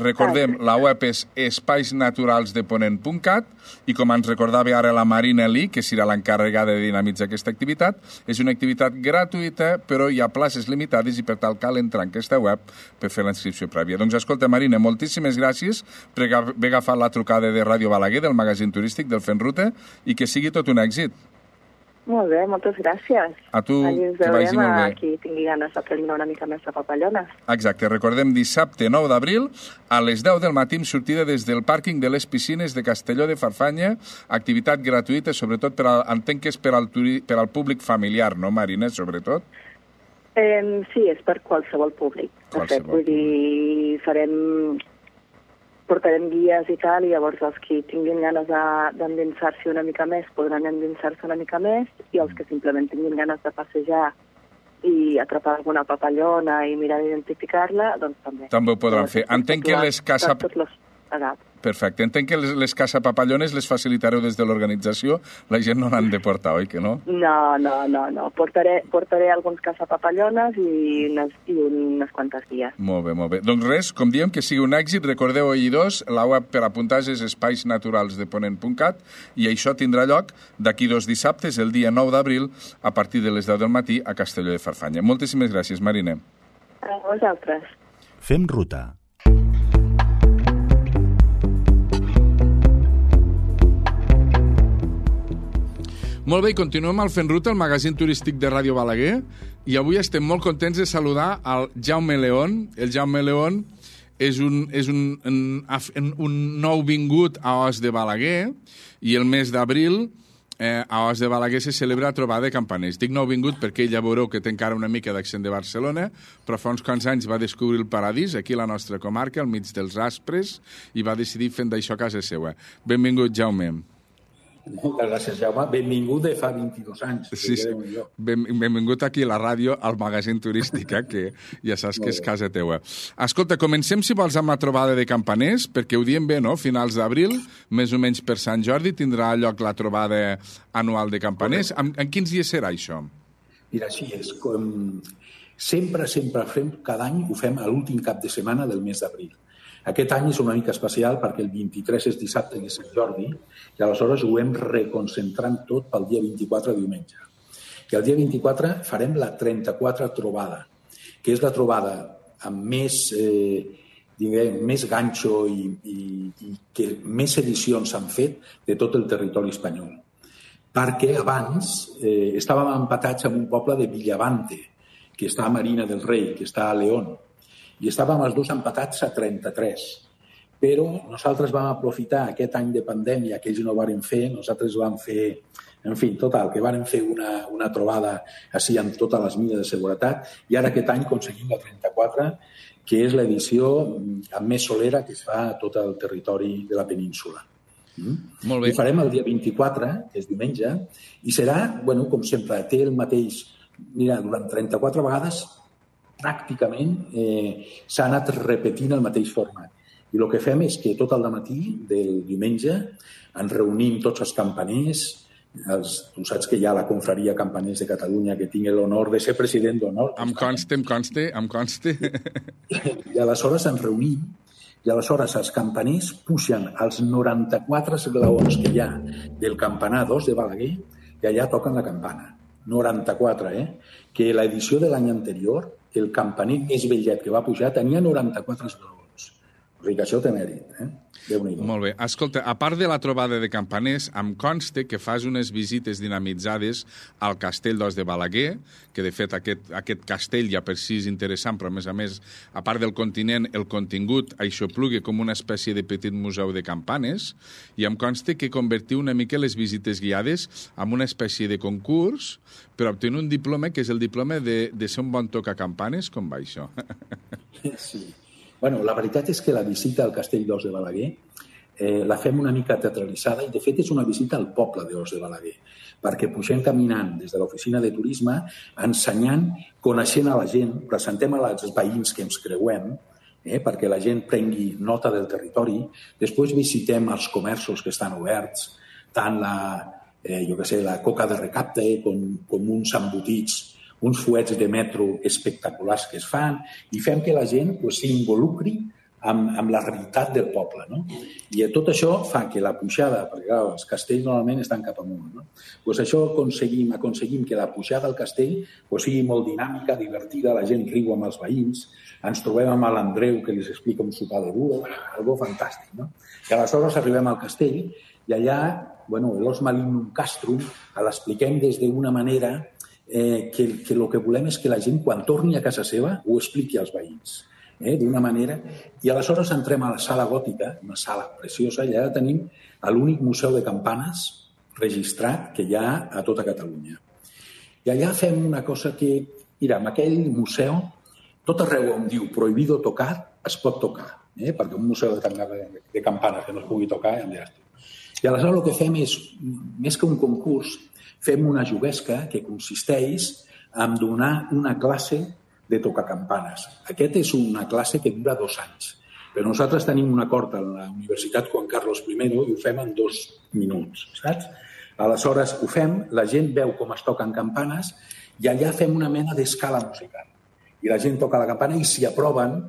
Recordem, la web és espaisnaturalsdeponent.cat i com ens recordava ara la Marina Lee, que serà l'encarregada de dinamitzar aquesta activitat, és una activitat gratuïta, però hi ha places limitades i per tal cal entrar en aquesta web per fer la inscripció prèvia. Doncs escolta, Marina, moltíssimes gràcies per haver agafat la trucada de Ràdio Balaguer, del magazín turístic del Fent Ruta, i que sigui tot un èxit. Molt bé, moltes gràcies. A tu, que vagi molt bé. Qui tingui ganes d'aprendre una mica més de papallones. Exacte, recordem dissabte 9 d'abril a les 10 del matí amb sortida des del pàrquing de les piscines de Castelló de Farfanya, activitat gratuïta, sobretot entenc que és per al públic familiar, no, Marina, sobretot? Sí, és per qualsevol públic. Vull dir, portarem guies i tal, i llavors els que tinguin ganes d'endinsar-s'hi una mica més podran endinsar-se una mica més, i els que simplement tinguin ganes de passejar i atrapar alguna papallona i mirar d'identificar-la, doncs també. També ho podran fer. Entenc que les Perfecte. Entenc que les caçapapallones les facilitareu des de l'organització. La gent no n'han de portar, oi que no? No. Portaré alguns caçapapallones i unes quantes guies. Molt bé. Doncs res, com diem, que sigui un èxit. Recordeu, oïdors, la web per apuntar és espaisnaturalsdeponent.cat i això tindrà lloc d'aquí 2 dissabtes, el dia 9 d'abril, a partir de les 10 del matí a Castelló de Farfanya. Moltíssimes gràcies, Marina. A vosaltres. Fem ruta. Molt bé, i continuem al Fent Ruta, el magazín turístic de Ràdio Balaguer, i avui estem molt contents de saludar al Jaume León. El Jaume León és un nou vingut a Os de Balaguer, i el mes d'abril a Os de Balaguer se celebra la trobada de campaners. Dic nou vingut perquè ell ja veureu que té encara una mica d'accent de Barcelona, però fa uns quants anys va descobrir el paradís, aquí a la nostra comarca, al mig dels aspres, i va decidir fent d'això casa seva. Benvingut, Jaume. Moltes gràcies, Jaume. Benvingut de fa 22 anys. Sí. Benvingut aquí a la ràdio, al magazín turístic, que ja saps que és casa teua. Escolta, comencem, si vols, amb la trobada de campaners, perquè ho diem bé, no? Finals d'abril, més o menys per Sant Jordi, tindrà lloc la trobada anual de campaners. En quins dies serà això? Mira, així és. Sempre fem, cada any ho fem a l'últim cap de setmana del mes d'abril. Aquest any és una mica especial perquè el 23 és dissabte de Sant Jordi i aleshores ho hem reconcentrant tot pel dia 24 diumenge. I el dia 24 farem la 34 trobada, que és la trobada amb més ganxo i que més edicions s'han fet de tot el territori espanyol. Perquè abans estàvem empatats amb un poble de Villavante, que està a Marina del Rei, que està a León, i estàvem els dos empatats a 33. Però nosaltres vam aprofitar aquest any de pandèmia que ells no varen fer, nosaltres vam fer, en fi, total, que varen fer una trobada així amb totes les mines de seguretat, i ara aquest any aconseguim la 34, que és l'edició amb més solera que es fa a tot el territori de la península. Molt bé. Ho farem el dia 24, que és diumenge, i serà, com sempre, té el mateix... Mira, durant 34 vegades pràcticament s'ha anat repetint el mateix format. I el que fem és que tot el matí del diumenge ens reunim tots els campaners, tu saps que hi ha la confraria Campaners de Catalunya, que tinc l'honor de ser president d'honor. Em conste. I aleshores ens reunim, i aleshores els campaners pugen als 94 esglaons que hi ha del campanar d'Os de Balaguer i allà toquen la campana. 94, que l'edició de l'any anterior, el campaner més vellet que va pujar tenia 94 esglaons. O sigui que això té mèrit, Déu-n'hi-do. Molt bé. Escolta, a part de la trobada de campaners, em consta que fas unes visites dinamitzades al castell d'Os de Balaguer, que de fet aquest castell ja per si és interessant, però a més, a part del continent, el contingut aixopluga com una espècie de petit museu de campanes, i em consta que convertiu una mica les visites guiades en una espècie de concurs per obtenir un diploma, que és el diploma de ser un bon tocacampanes. Com va això? Sí. La veritat és que la visita al castell d'Os de Balaguer la fem una mica teatralitzada i, de fet, és una visita al poble d'Os de Balaguer, perquè pugem caminant des de l'oficina de turisme, ensenyant, coneixent a la gent, presentem als veïns que ens creuem, perquè la gent prengui nota del territori, després visitem els comerços que estan oberts, tant la coca de recapte com uns embotits, uns fuets de metro espectaculars que es fan, i fem que la gent s'involucri amb la realitat del poble, no? I tot això fa que la pujada, perquè clar, els castells normalment estan cap amunt, no? Pues això aconseguim que la pujada al castell sigui molt dinàmica, divertida, la gent riu amb els veïns, ens trobem amb l'Andreu que els explica un sopar de búho, algo fantàstic, no? I aleshores arribem al castell i allà, l'os malinum castrum, l'expliquem des d'una manera que el que volem és que la gent, quan torni a casa seva, ho expliqui als veïns. D'una manera, i aleshores entrem a la sala gòtica, una sala preciosa, i allà tenim l'únic museu de campanes registrat que hi ha a tota Catalunya. I allà fem una cosa que, mira, en aquell museu, tot arreu on diu prohibido tocar, es pot tocar, perquè un museu de campanes que no es pugui tocar, ja em diràs tu. I aleshores el que fem és, més que un concurs, fem una juguesca que consisteix en donar una classe de tocar campanes. Aquest és una classe que dura 2 anys. Però nosaltres tenim un acord a la Universitat Juan Carlos I i ho fem en 2 minuts, saps? Aleshores ho fem, la gent veu com es toquen campanes i allà fem una mena d'escala musical. I la gent toca la campana i si aproven,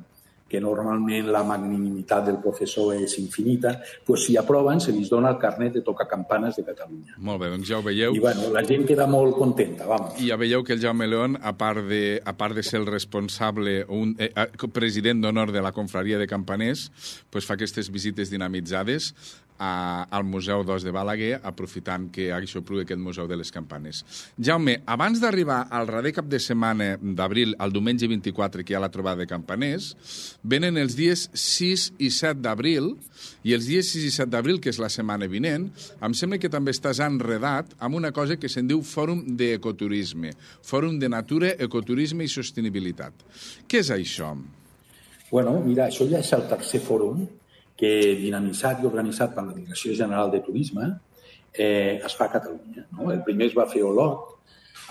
que normalment la magnanimitat del professor és infinita, doncs si aproven se li dona el carnet de tocar campanes de Catalunya. Molt bé, doncs ja ho veieu. I la gent queda molt contenta, vamos. I ja veieu que el Jaume León, a part de ser el responsable, president d'honor de la confraria de campaners, doncs fa aquestes visites dinamitzades al Museu d'Os de Balaguer, aprofitant que aixopluga aquest Museu de les Campanes. Jaume, abans d'arribar al darrer cap de setmana d'abril, al diumenge 24, que hi ha la trobada de campaners, venen els dies 6 i 7 d'abril, i els dies 6 i 7 d'abril, que és la setmana vinent, em sembla que també estàs enredat amb una cosa que se'n diu Fòrum d'Ecoturisme, Fòrum de Natura, Ecoturisme i Sostenibilitat. Què és això? Mira, això ja és el tercer fòrum que dinamitzat i organitzat per la Direcció General de Turisme es fa a Catalunya. No? El primer es va fer a Olot,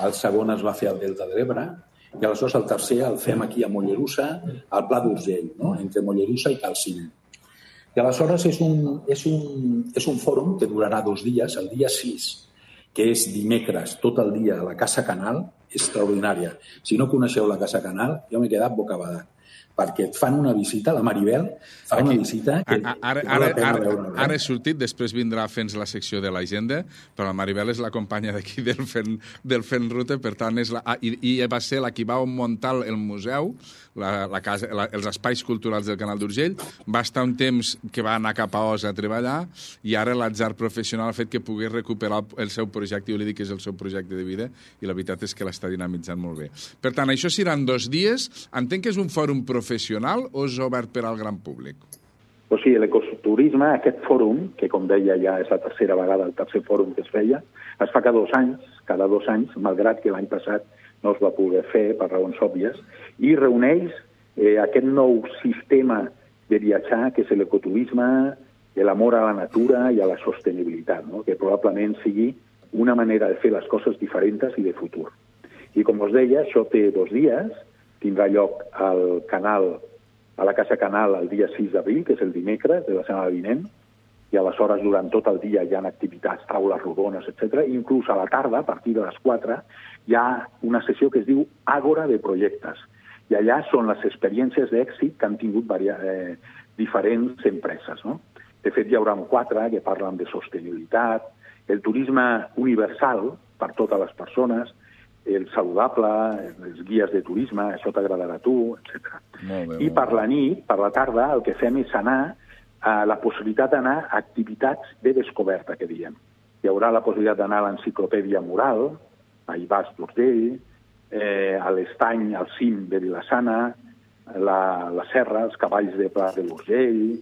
el segon es va fer al Delta de l'Ebre, i aleshores el tercer el fem aquí a Mollerussa, al Pla d'Urgell, no? Entre Mollerussa i Calcina. I aleshores és un fòrum que durarà 2 dies, el dia 6, que és dimecres, tot el dia a la Casa Canal, extraordinària. Si no coneixeu la Casa Canal, jo m'he quedat bocabadat, perquè et fan una visita, la Maribel fa una visita que val la pena veure. Ara he sortit, després vindrà a fer-nos la secció de l'agenda, però la Maribel és la companya d'aquí del Fent Ruta, per tant, i va ser la qui va muntar el museu, els espais culturals del Canal d'Urgell, va estar un temps que va anar cap a Os a treballar, i ara l'atzar professional ha fet que pogués recuperar el seu projecte, jo li dic que és el seu projecte de vida, i la veritat és que l'està dinamitzant molt bé. Per tant, això seran 2 dies, entenc que és un fòrum professional o és obert per al gran públic? O sigui, l'ecoturisme, aquest fòrum, que com deia ja és la tercera vegada, el tercer fòrum que es feia, es fa cada 2 anys, malgrat que l'any passat no es va poder fer per raons òbvies, i reuneix aquest nou sistema de viatjar, que és l'ecoturisme, l'amor a la natura i a la sostenibilitat, no? Que probablement sigui una manera de fer les coses diferents i de futur. I com us deia, això té 2 dies, tindrà lloc al canal, a la Casa Canal el dia 6 d'abril, que és el dimecres de la setmana vinent, i aleshores durant tot el dia hi ha activitats, taules rodones, etc. Inclús a la tarda, a partir de les 4, hi ha una sessió que es diu Àgora de Projectes. I allà són les experiències d'èxit que han tingut diferents empreses, no? De fet, hi haurà 4 que parlen de sostenibilitat, el turisme universal per totes les persones, el saludable, els guies de turisme, això t'agradarà a tu, etc. I per la nit, per la tarda, el que fem és anar a la possibilitat d'anar a activitats de descoberta, que diem. Hi haurà la possibilitat d'anar a l'enciclopèdia mural, a Ibàs d'Urgell, a l'estany, al cim de Vilassana, la serra, els cavalls de Pla de l'Urgell,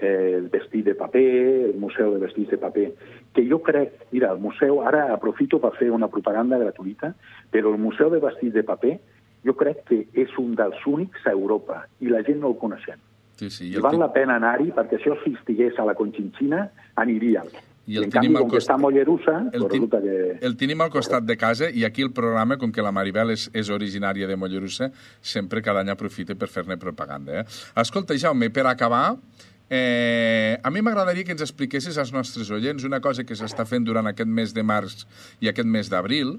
el vestit de paper, el museu de vestits de paper, que jo crec, mira, el museu, ara aprofito per fer una propaganda gratuïta, però el museu de vestits de paper jo crec que és un dels únics a Europa i la gent no el coneixem. Sí, I val la pena anar-hi perquè això si estigués a la Conchinchina aniríem. I en canvi, com que està a Mollerussa, resulta que... El tenim al costat de casa i aquí el programa, com que la Maribel és originària de Mollerussa, sempre cada any aprofita per fer-ne propaganda. Escolta, Jaume, per acabar, a mi m'agradaria que ens expliquessis als nostres oients una cosa que s'està fent durant aquest mes de març i aquest mes d'abril,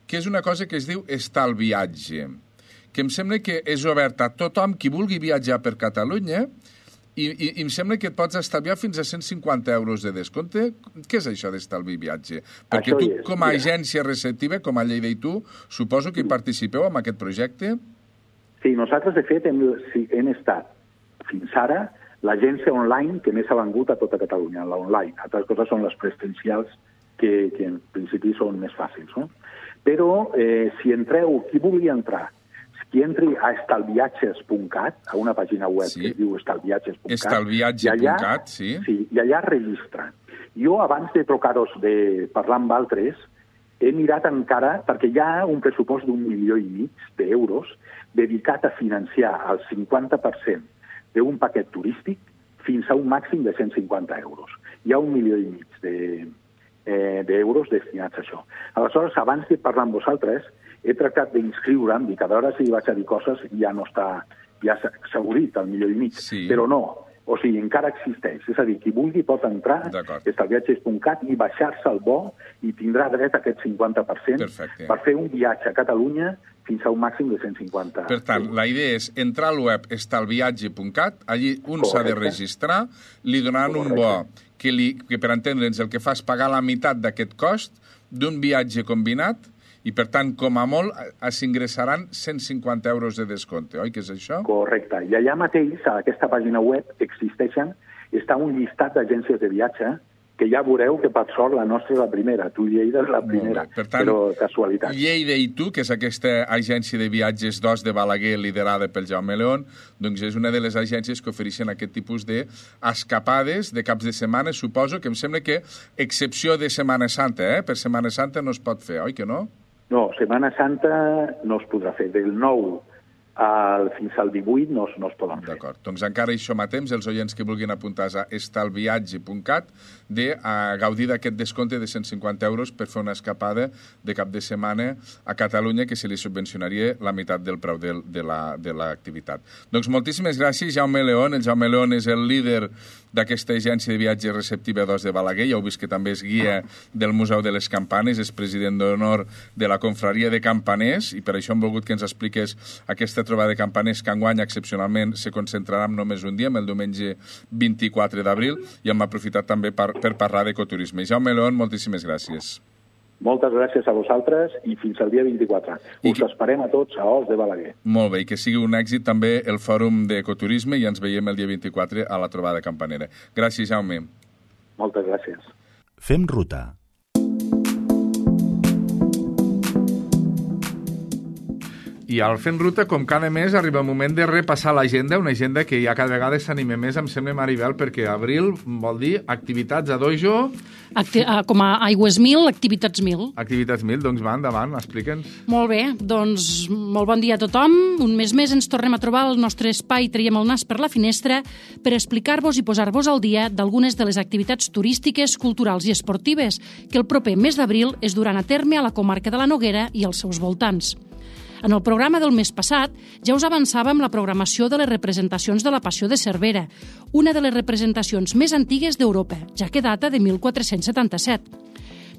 que és una cosa que es diu Estalviatge, que em sembla que és oberta a tothom qui vulgui viatjar per Catalunya I em sembla que et pots estalviar fins a 150 euros de descompte. Què és això d'estalvi viatge? Perquè Això tu, és, com a agència receptiva, com a Lleida i tu, suposo que hi participeu en aquest projecte? Sí, nosaltres, de fet, hem estat fins ara l'agència online que més ha vengut a tota Catalunya, l'online. Altres coses són les presencials, que en principi són més fàcils, no? Però si entreu, qui vulgui entrar, qui entri a estalviatges.cat, a una pàgina web que es diu estalviatges.cat, estalviatge.cat, sí. Sí, i allà registra. Jo, abans de trucar-vos, de parlar amb altres, he mirat encara, perquè hi ha un pressupost d'1,5 milió d'euros dedicat a financiar el 50% d'un paquet turístic fins a un màxim de 150 euros. Hi ha 1,5 milió d'euros destinats a això. Aleshores, abans de parlar amb vosaltres, he tractat d'inscriure'm, i cada hora si vaig a dir coses ja no està, ja s'ha obrit el 1,5 milió, però no, o sigui, encara existeix. És a dir, qui vulgui pot entrar a estalviatges.cat i baixar-se el bo i tindrà dret a aquest 50% per fer un viatge a Catalunya fins a un màxim de 150. Per tant, la idea és entrar al web estalviatge.cat, allí un s'ha de registrar, li donaran un bo que per entendre'ns el que fa és pagar la meitat d'aquest cost d'un viatge combinat i, per tant, com a molt, s'ingressaran 150 euros de descompte, oi que és això? Correcte. I allà mateix, a aquesta pàgina web, està un llistat d'agències de viatge que ja veureu que, per sort, la nostra és la primera. Tu, Lleida, és la primera, per tant, però casualitat. Lleida i tu, que és aquesta agència de viatges d'Os de Balaguer liderada pel Jaume León, doncs és una de les agències que ofereixen aquest tipus d'escapades de caps de setmana. Suposo que em sembla que, excepció de Setmana Santa, per Setmana Santa no es pot fer, oi que no? No, Setmana Santa no es podrà fer. Del 9 fins al 18 no es poden fer. D'acord, doncs encara hi som a temps, els oients que vulguin apuntar-se a estalviatge.cat de gaudir d'aquest descompte de 150 euros per fer una escapada de cap de setmana a Catalunya que se li subvencionaria la meitat del preu de l'activitat. Doncs moltíssimes gràcies, Jaume León. El Jaume León és el líder d'aquesta agència de viatge receptiva d'Os de Balaguer. Ja heu vist que també és guia del Museu de les Campanes, és president d'honor de la confraria de campaners i per això hem volgut que ens expliqués aquesta trobada de campaners que enguany excepcionalment se concentrarà en només un dia, el diumenge 24 d'abril, i hem aprofitat també per parlar d'ecoturisme. Jaume León, moltíssimes gràcies. Moltes gràcies a vosaltres i fins al dia 24. Us esperem a tots a Os de Balaguer. Molt bé, i que sigui un èxit també el Fòrum d'Ecoturisme i ens veiem el dia 24 a la trobada campanera. Gràcies, Jaume. Moltes gràcies. Fem ruta. I al Fent Ruta, com cada mes, arriba el moment de repassar l'agenda, una agenda que ja cada vegada s'anima més, em sembla, Maribel, perquè abril vol dir activitats a dojo... Com a Aigües 1000, activitats 1000. Activitats 1000, doncs va, endavant, explica'ns. Molt bé, doncs molt bon dia a tothom. Un mes més ens tornem a trobar al nostre espai Traiem el nas per la finestra per explicar-vos i posar-vos al dia d'algunes de les activitats turístiques, culturals i esportives que el proper mes d'abril es duran a terme a la comarca de la Noguera i als seus voltants. En el programa del mes passat ja us avançàvem la programació de les representacions de la Passió de Cervera, una de les representacions més antigues d'Europa, ja que data de 1477.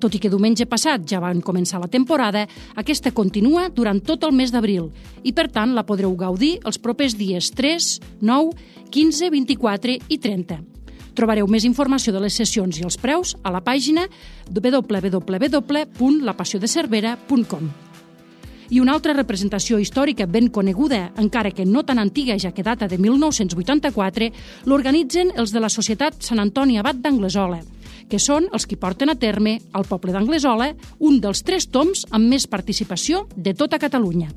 Tot i que diumenge passat ja van començar la temporada, aquesta continua durant tot el mes d'abril i, per tant, la podreu gaudir els propers dies 3, 9, 15, 24 i 30. Trobareu més informació de les sessions i els preus a la pàgina www.lapassiodecervera.com. I una altra representació històrica ben coneguda, encara que no tan antiga, ja que data de 1984, l'organitzen els de la Societat Sant Antoni Abat d'Anglesola, que són els que porten a terme al poble d'Anglesola un dels 3 tombs amb més participació de tota Catalunya.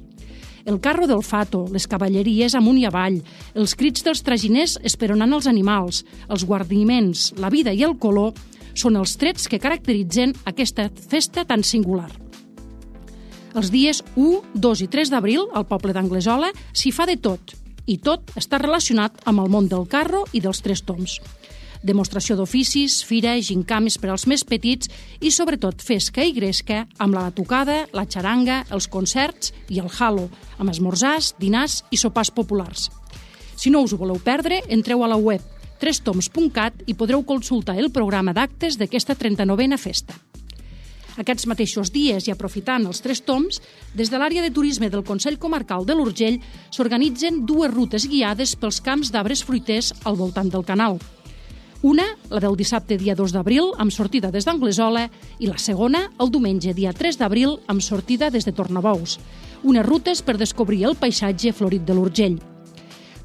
El carro del fato, les cavalleries amunt i avall, els crits dels traginers esperonant els animals, els guarniments, la vida i el color són els trets que caracteritzen aquesta festa tan singular. Els dies 1, 2 i 3 d'abril, al poble d'Anglesola, s'hi fa de tot, i tot està relacionat amb el món del carro i dels 3 tombs. Demostració d'oficis, fira, gincames per als més petits i, sobretot, fesca i gresca amb la batucada, la xaranga, els concerts i el halo, amb esmorzars, dinars i sopars populars. Si no us ho voleu perdre, entreu a la web trestoms.cat i podreu consultar el programa d'actes d'aquesta 39a festa. Aquests mateixos dies i aprofitant els 3 tombs, des de l'àrea de turisme del Consell Comarcal de l'Urgell s'organitzen 2 rutes guiades pels camps d'arbres fruiters al voltant del canal. Una, la del dissabte dia 2 d'abril, amb sortida des d'Anglesola, i la segona, el diumenge dia 3 d'abril, amb sortida des de Tornabous. Unes rutes per descobrir el paisatge florit de l'Urgell.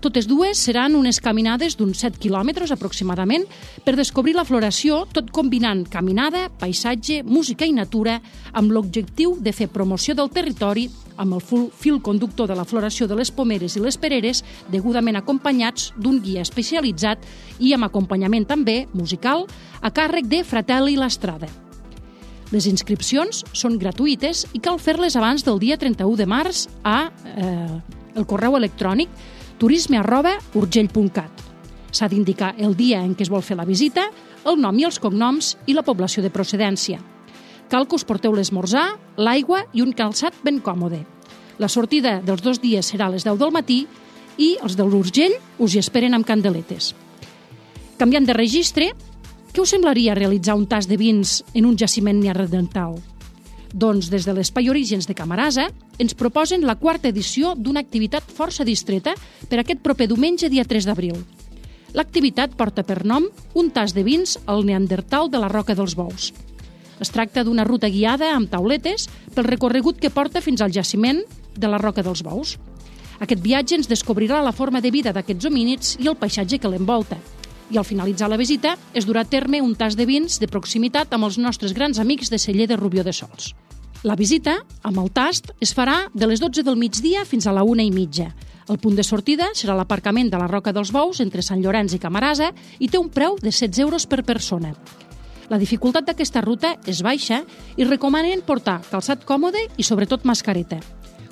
Totes dues seran unes caminades d'uns 7 quilòmetres aproximadament per descobrir la floració, tot combinant caminada, paisatge, música i natura, amb l'objectiu de fer promoció del territori amb el fil conductor de la floració de les pomeres i les pereres, degudament acompanyats d'un guia especialitzat i amb acompanyament també musical a càrrec de Fratelli Lastrada. Les inscripcions són gratuïtes i cal fer-les abans del dia 31 de març a el correu electrònic turisme@urgell.cat. S'ha d'indicar el dia en què es vol fer la visita, el nom i els cognoms i la població de procedència. Cal que us porteu l'esmorzar, l'aigua i un calçat ben còmode. La sortida dels 2 dies serà a les 10 del matí i els de l'Urgell us hi esperen amb candeletes. Canviant de registre, què us semblaria realitzar un tast de vins en un jaciment neandertal? Doncs des de l'Espai Orígens de Camarasa ens proposen la 4ª edició d'una activitat força distreta per aquest proper diumenge dia 3 d'abril. L'activitat porta per nom un tast de vins al Neandertal de la Roca dels Bous. Es tracta d'una ruta guiada amb tauletes pel recorregut que porta fins al jaciment de la Roca dels Bous. Aquest viatge ens descobrirà la forma de vida d'aquests homínids i el paisatge que l'envolta. I al finalitzar la visita es durà a terme un tast de vins de proximitat amb els nostres grans amics de Celler de Rubió de Sols. La visita, amb el tast, es farà de les 12 del migdia fins a la 1:30. El punt de sortida serà l'aparcament de la Roca dels Bous entre Sant Llorenç i Camarasa i té un preu de 16 euros per persona. La dificultat d'aquesta ruta és baixa i recomanen portar calçat còmode i sobretot mascareta.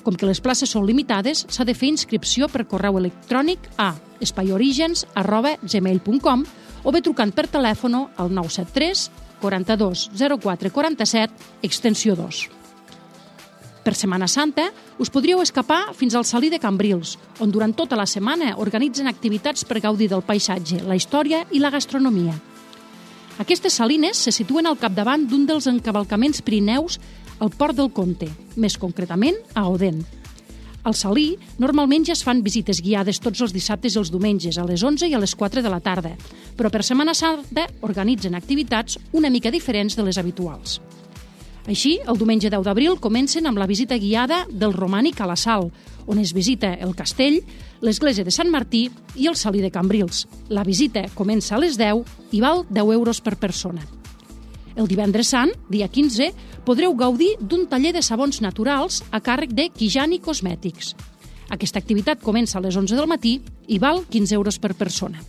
Com que les places són limitades, s'ha de fer inscripció per correu electrònic a espaiorigens@gmail.com o bé trucant per telèfon al 973 42 04 47 extensió 2. Per Setmana Santa us podríeu escapar fins al Salí de Cambrils, on durant tota la setmana organitzen activitats per gaudir del paisatge, la història i la gastronomia. Aquestes salines se situen al capdavant d'un dels encavalcaments pirineus al Port del Comte, més concretament a Odèn. Al Salí normalment ja es fan visites guiades tots els dissabtes i els diumenges a les 11 i a les 4 de la tarda, però per Setmana Santa organitzen activitats una mica diferents de les habituals. Així, el diumenge 10 d'abril comencen amb la visita guiada del Romànic a la Sal, on es visita el castell, l'església de Sant Martí i el Salí de Cambrils. La visita comença a les 10 i val 10 euros per persona. El divendres sant, dia 15, podreu gaudir d'un taller de sabons naturals a càrrec de Kijani Cosmètics. Aquesta activitat comença a les 11 del matí i val 15 euros per persona.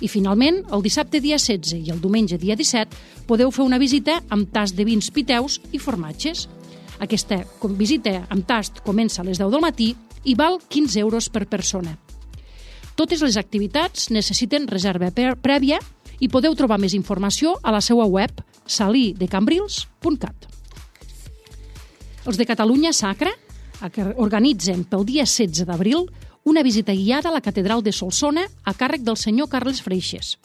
I finalment, el dissabte dia 16 i el diumenge dia 17 podeu fer una visita amb tast de vins piteus i formatges. Aquesta visita amb tast comença a les 10 del matí i val 15 euros per persona. Totes les activitats necessiten reserva prèvia i podeu trobar més informació a la seva web salidecambrils.cat. Els de Catalunya Sacra organitzen pel dia 16 d'abril una visita guiada a la Catedral de Solsona a càrrec del senyor Carles Freixes.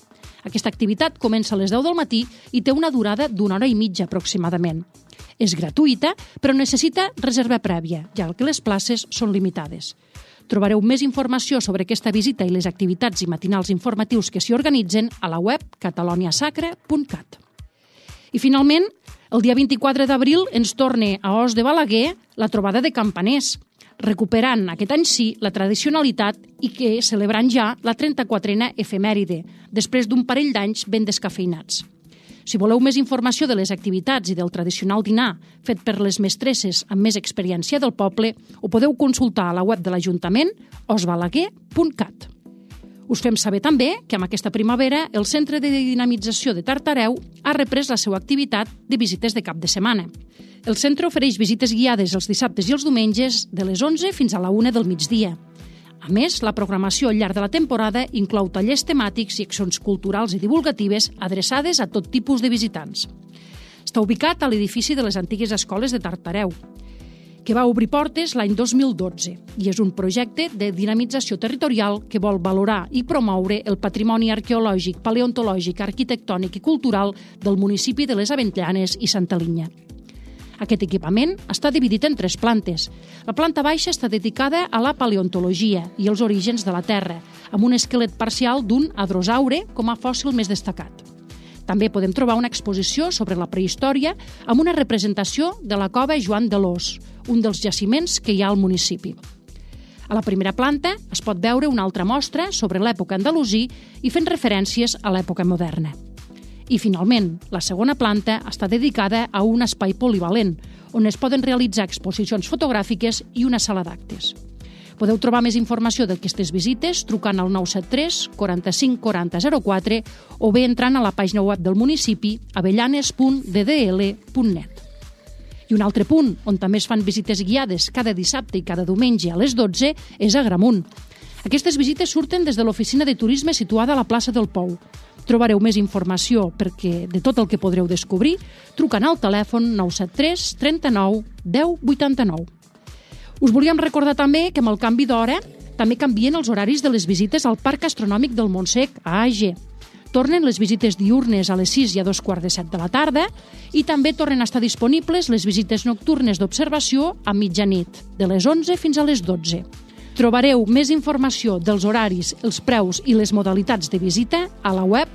Aquesta activitat comença a les 10 del matí i té una durada d'1 hora i mitja aproximadament. És gratuïta, però necessita reserva prèvia, ja que les places són limitades. Trobareu més informació sobre aquesta visita i les activitats i matinals informatius que s'hi organitzen a la web cataloniasacra.cat. I finalment, el dia 24 d'abril ens torna a Os de Balaguer la trobada de campaners, recuperant aquest any sí la tradicionalitat i que celebrant ja la 34a efemèride, després d'un parell d'anys ben descafeinats. Si voleu més informació de les activitats i del tradicional dinar fet per les mestresses amb més experiència del poble, ho podeu consultar a la web de l'Ajuntament osbalaguer.cat. Us fem saber també que amb aquesta primavera el Centre de Dinamització de Tartareu ha reprès la seva activitat de visites de cap de setmana. El centre ofereix visites guiades els dissabtes i els diumenges de les 11 fins a la 1 del migdia. A més, la programació al llarg de la temporada inclou tallers temàtics i accions culturals i divulgatives adreçades a tot tipus de visitants. Està ubicat a l'edifici de les antigues escoles de Tartareu, que va obrir portes l'any 2012 i és un projecte de dinamització territorial que vol valorar i promoure el patrimoni arqueològic, paleontològic, arquitectònic i cultural del municipi de les Avellanes i Santa Linya. Aquest equipament està dividit en 3 plantes. La planta baixa està dedicada a la paleontologia i els orígens de la Terra, amb un esquelet parcial d'un hadrosaure com a fòssil més destacat. També podem trobar una exposició sobre la prehistòria amb una representació de la cova Joan de l'Ós, un dels jaciments que hi ha al municipi. A la primera planta es pot veure una altra mostra sobre l'època andalusí i fent referències a l'època moderna. I, finalment, la segona planta està dedicada a un espai polivalent, on es poden realitzar exposicions fotogràfiques i una sala d'actes. Podeu trobar més informació d'aquestes visites trucant al 973 45 40 04 o bé entrant a la pàgina web del municipi avellanes.ddl.net. I un altre punt on també es fan visites guiades cada dissabte i cada diumenge a les 12 és a Agramunt. Aquestes visites surten des de l'oficina de turisme situada a la plaça del Pou. Trobareu més informació de tot el que podreu descobrir trucant al telèfon 973 39 10 89. Us volíem recordar també que amb el canvi d'hora també canvien els horaris de les visites al Parc Astronòmic del Montsec a AG. Tornen les visites diürnes a les 6 i a 2:45 de la tarda i també tornen a estar disponibles les visites nocturnes d'observació a mitjanit, de les 11 fins a les 12. Trobareu més informació dels horaris, els preus i les modalitats de visita a la web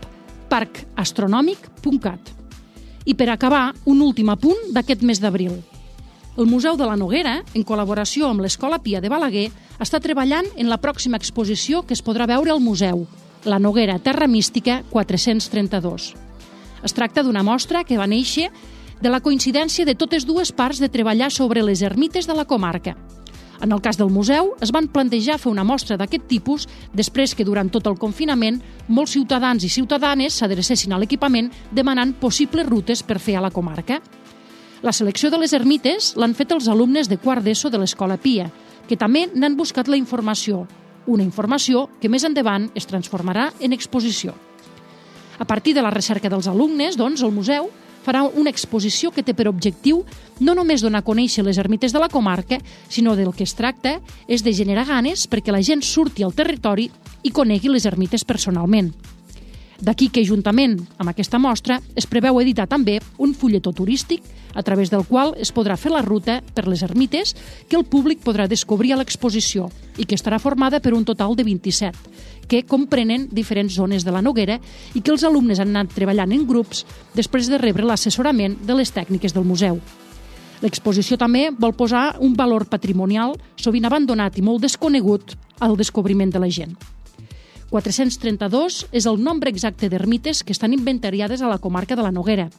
parcastronòmic.cat. I per acabar, un últim apunt d'aquest mes d'abril. El Museu de la Noguera, en col·laboració amb l'Escola Pia de Balaguer, està treballant en la pròxima exposició que es podrà veure al museu, La Noguera Terra Mística 432. Es tracta d'una mostra que va néixer de la coincidència de totes dues parts de treballar sobre les ermites de la comarca. En el cas del museu, es van plantejar fer una mostra d'aquest tipus després que durant tot el confinament molts ciutadans i ciutadanes s'adrecessin a l'equipament demanant possibles rutes per fer a la comarca. La selecció de les ermites l'han fet els alumnes de quart d'ESO de l'Escola Pia, que també n'han buscat la informació, una informació que més endavant es transformarà en exposició. A partir de la recerca dels alumnes, doncs, el museu farà una exposició que té per objectiu no només donar a conèixer les ermites de la comarca, sinó del que es tracta és de generar ganes perquè la gent surti al territori i conegui les ermites personalment. D'aquí que, juntament amb aquesta mostra, es preveu editar també un fulletó turístic a través del qual es podrà fer la ruta per les ermites que el públic podrà descobrir a l'exposició i que estarà formada per un total de 27, que comprenen diferents zones de la Noguera i que els alumnes han anat treballant en grups després de rebre l'assessorament de les tècniques del museu. L'exposició també vol posar un valor patrimonial sovint abandonat i molt desconegut al descobriment de la gent. 432 és el nombre exacte d'ermites que estan inventariades a la comarca de la Noguera.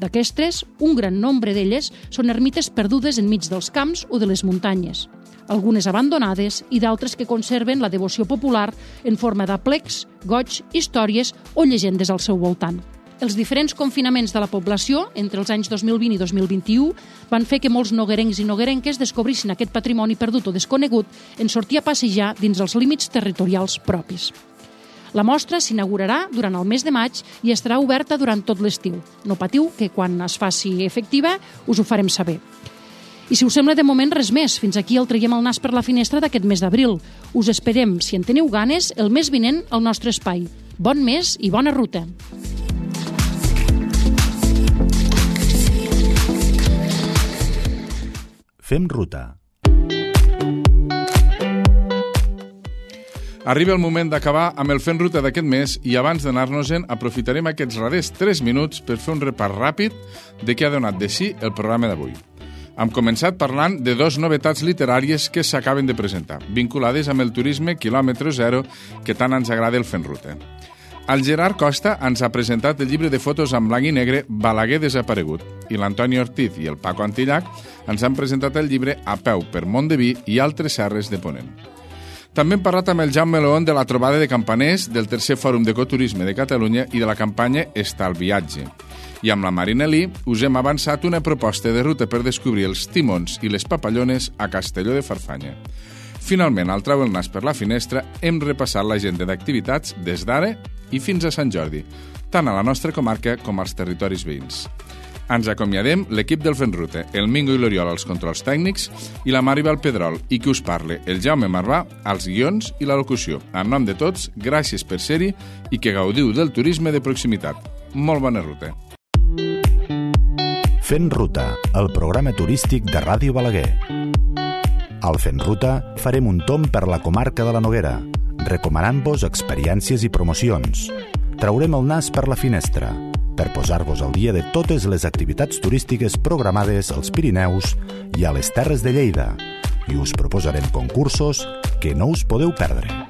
D'aquestes, un gran nombre d'elles són ermites perdudes enmig dels camps o de les muntanyes, algunes abandonades i d'altres que conserven la devoció popular en forma d'aplecs, goigs, històries o llegendes al seu voltant. Els diferents confinaments de la població entre els anys 2020 i 2021 van fer que molts noguerencs i noguerenques descobrissin aquest patrimoni perdut o desconegut en sortir a passejar dins els límits territorials propis. La mostra s'inaugurarà durant el mes de maig i estarà oberta durant tot l'estiu. No patiu, que quan es faci efectiva us ho farem saber. I si us sembla de moment res més, fins aquí el traiem el nas per la finestra d'aquest mes d'abril. Us esperem, si en teniu ganes, el mes vinent al nostre espai. Bon mes i bona ruta! Fem ruta. Arriba el moment d'acabar amb el Fent Ruta d'aquest mes i abans d'anar-nos-en aprofitarem aquests darrers 3 minuts per fer un repàs ràpid de què ha donat de si el programa d'avui. Hem començat parlant de 2 novetats literàries que s'acaben de presentar, vinculades amb el turisme quilòmetre zero que tant ens agrada el Fent Ruta. El Gerard Costa ens ha presentat el llibre de fotos en blanc i negre Balaguer desaparegut i l'Antoni Ortiz i el Paco Antillac ens han presentat el llibre A peu per Montdeví i altres serres de Ponent. També hem parlat amb el Jaume León de la trobada de campaners, del tercer Fòrum d'Ecoturisme de Catalunya i de la campanya Estalviatge. I amb la Marina Lee us hem avançat una proposta de ruta per descobrir els timons i les papallones a Castelló de Farfanya. Finalment, al trau el nas per la finestra, hem repassat l'agenda d'activitats des d'ara i fins a Sant Jordi, tant a la nostra comarca com als territoris veïns. Ens acomiadem l'equip del Fent Ruta, el Mingo i l'Oriol als controls tècnics i la Maribel Pedrol, i qui us parle, el Jaume Marvà, als guions i la locució. En nom de tots, gràcies per ser-hi i que gaudiu del turisme de proximitat. Molt bona ruta. Fent Ruta, el programa turístic de Ràdio Balaguer. Al Fent Ruta farem un tomb per la comarca de la Noguera, recomanant-vos experiències i promocions. Traurem el nas per la finestra, per posar-vos al dia de totes les activitats turístiques programades als Pirineus i a les Terres de Lleida, i us proposarem concursos que no us podeu perdre.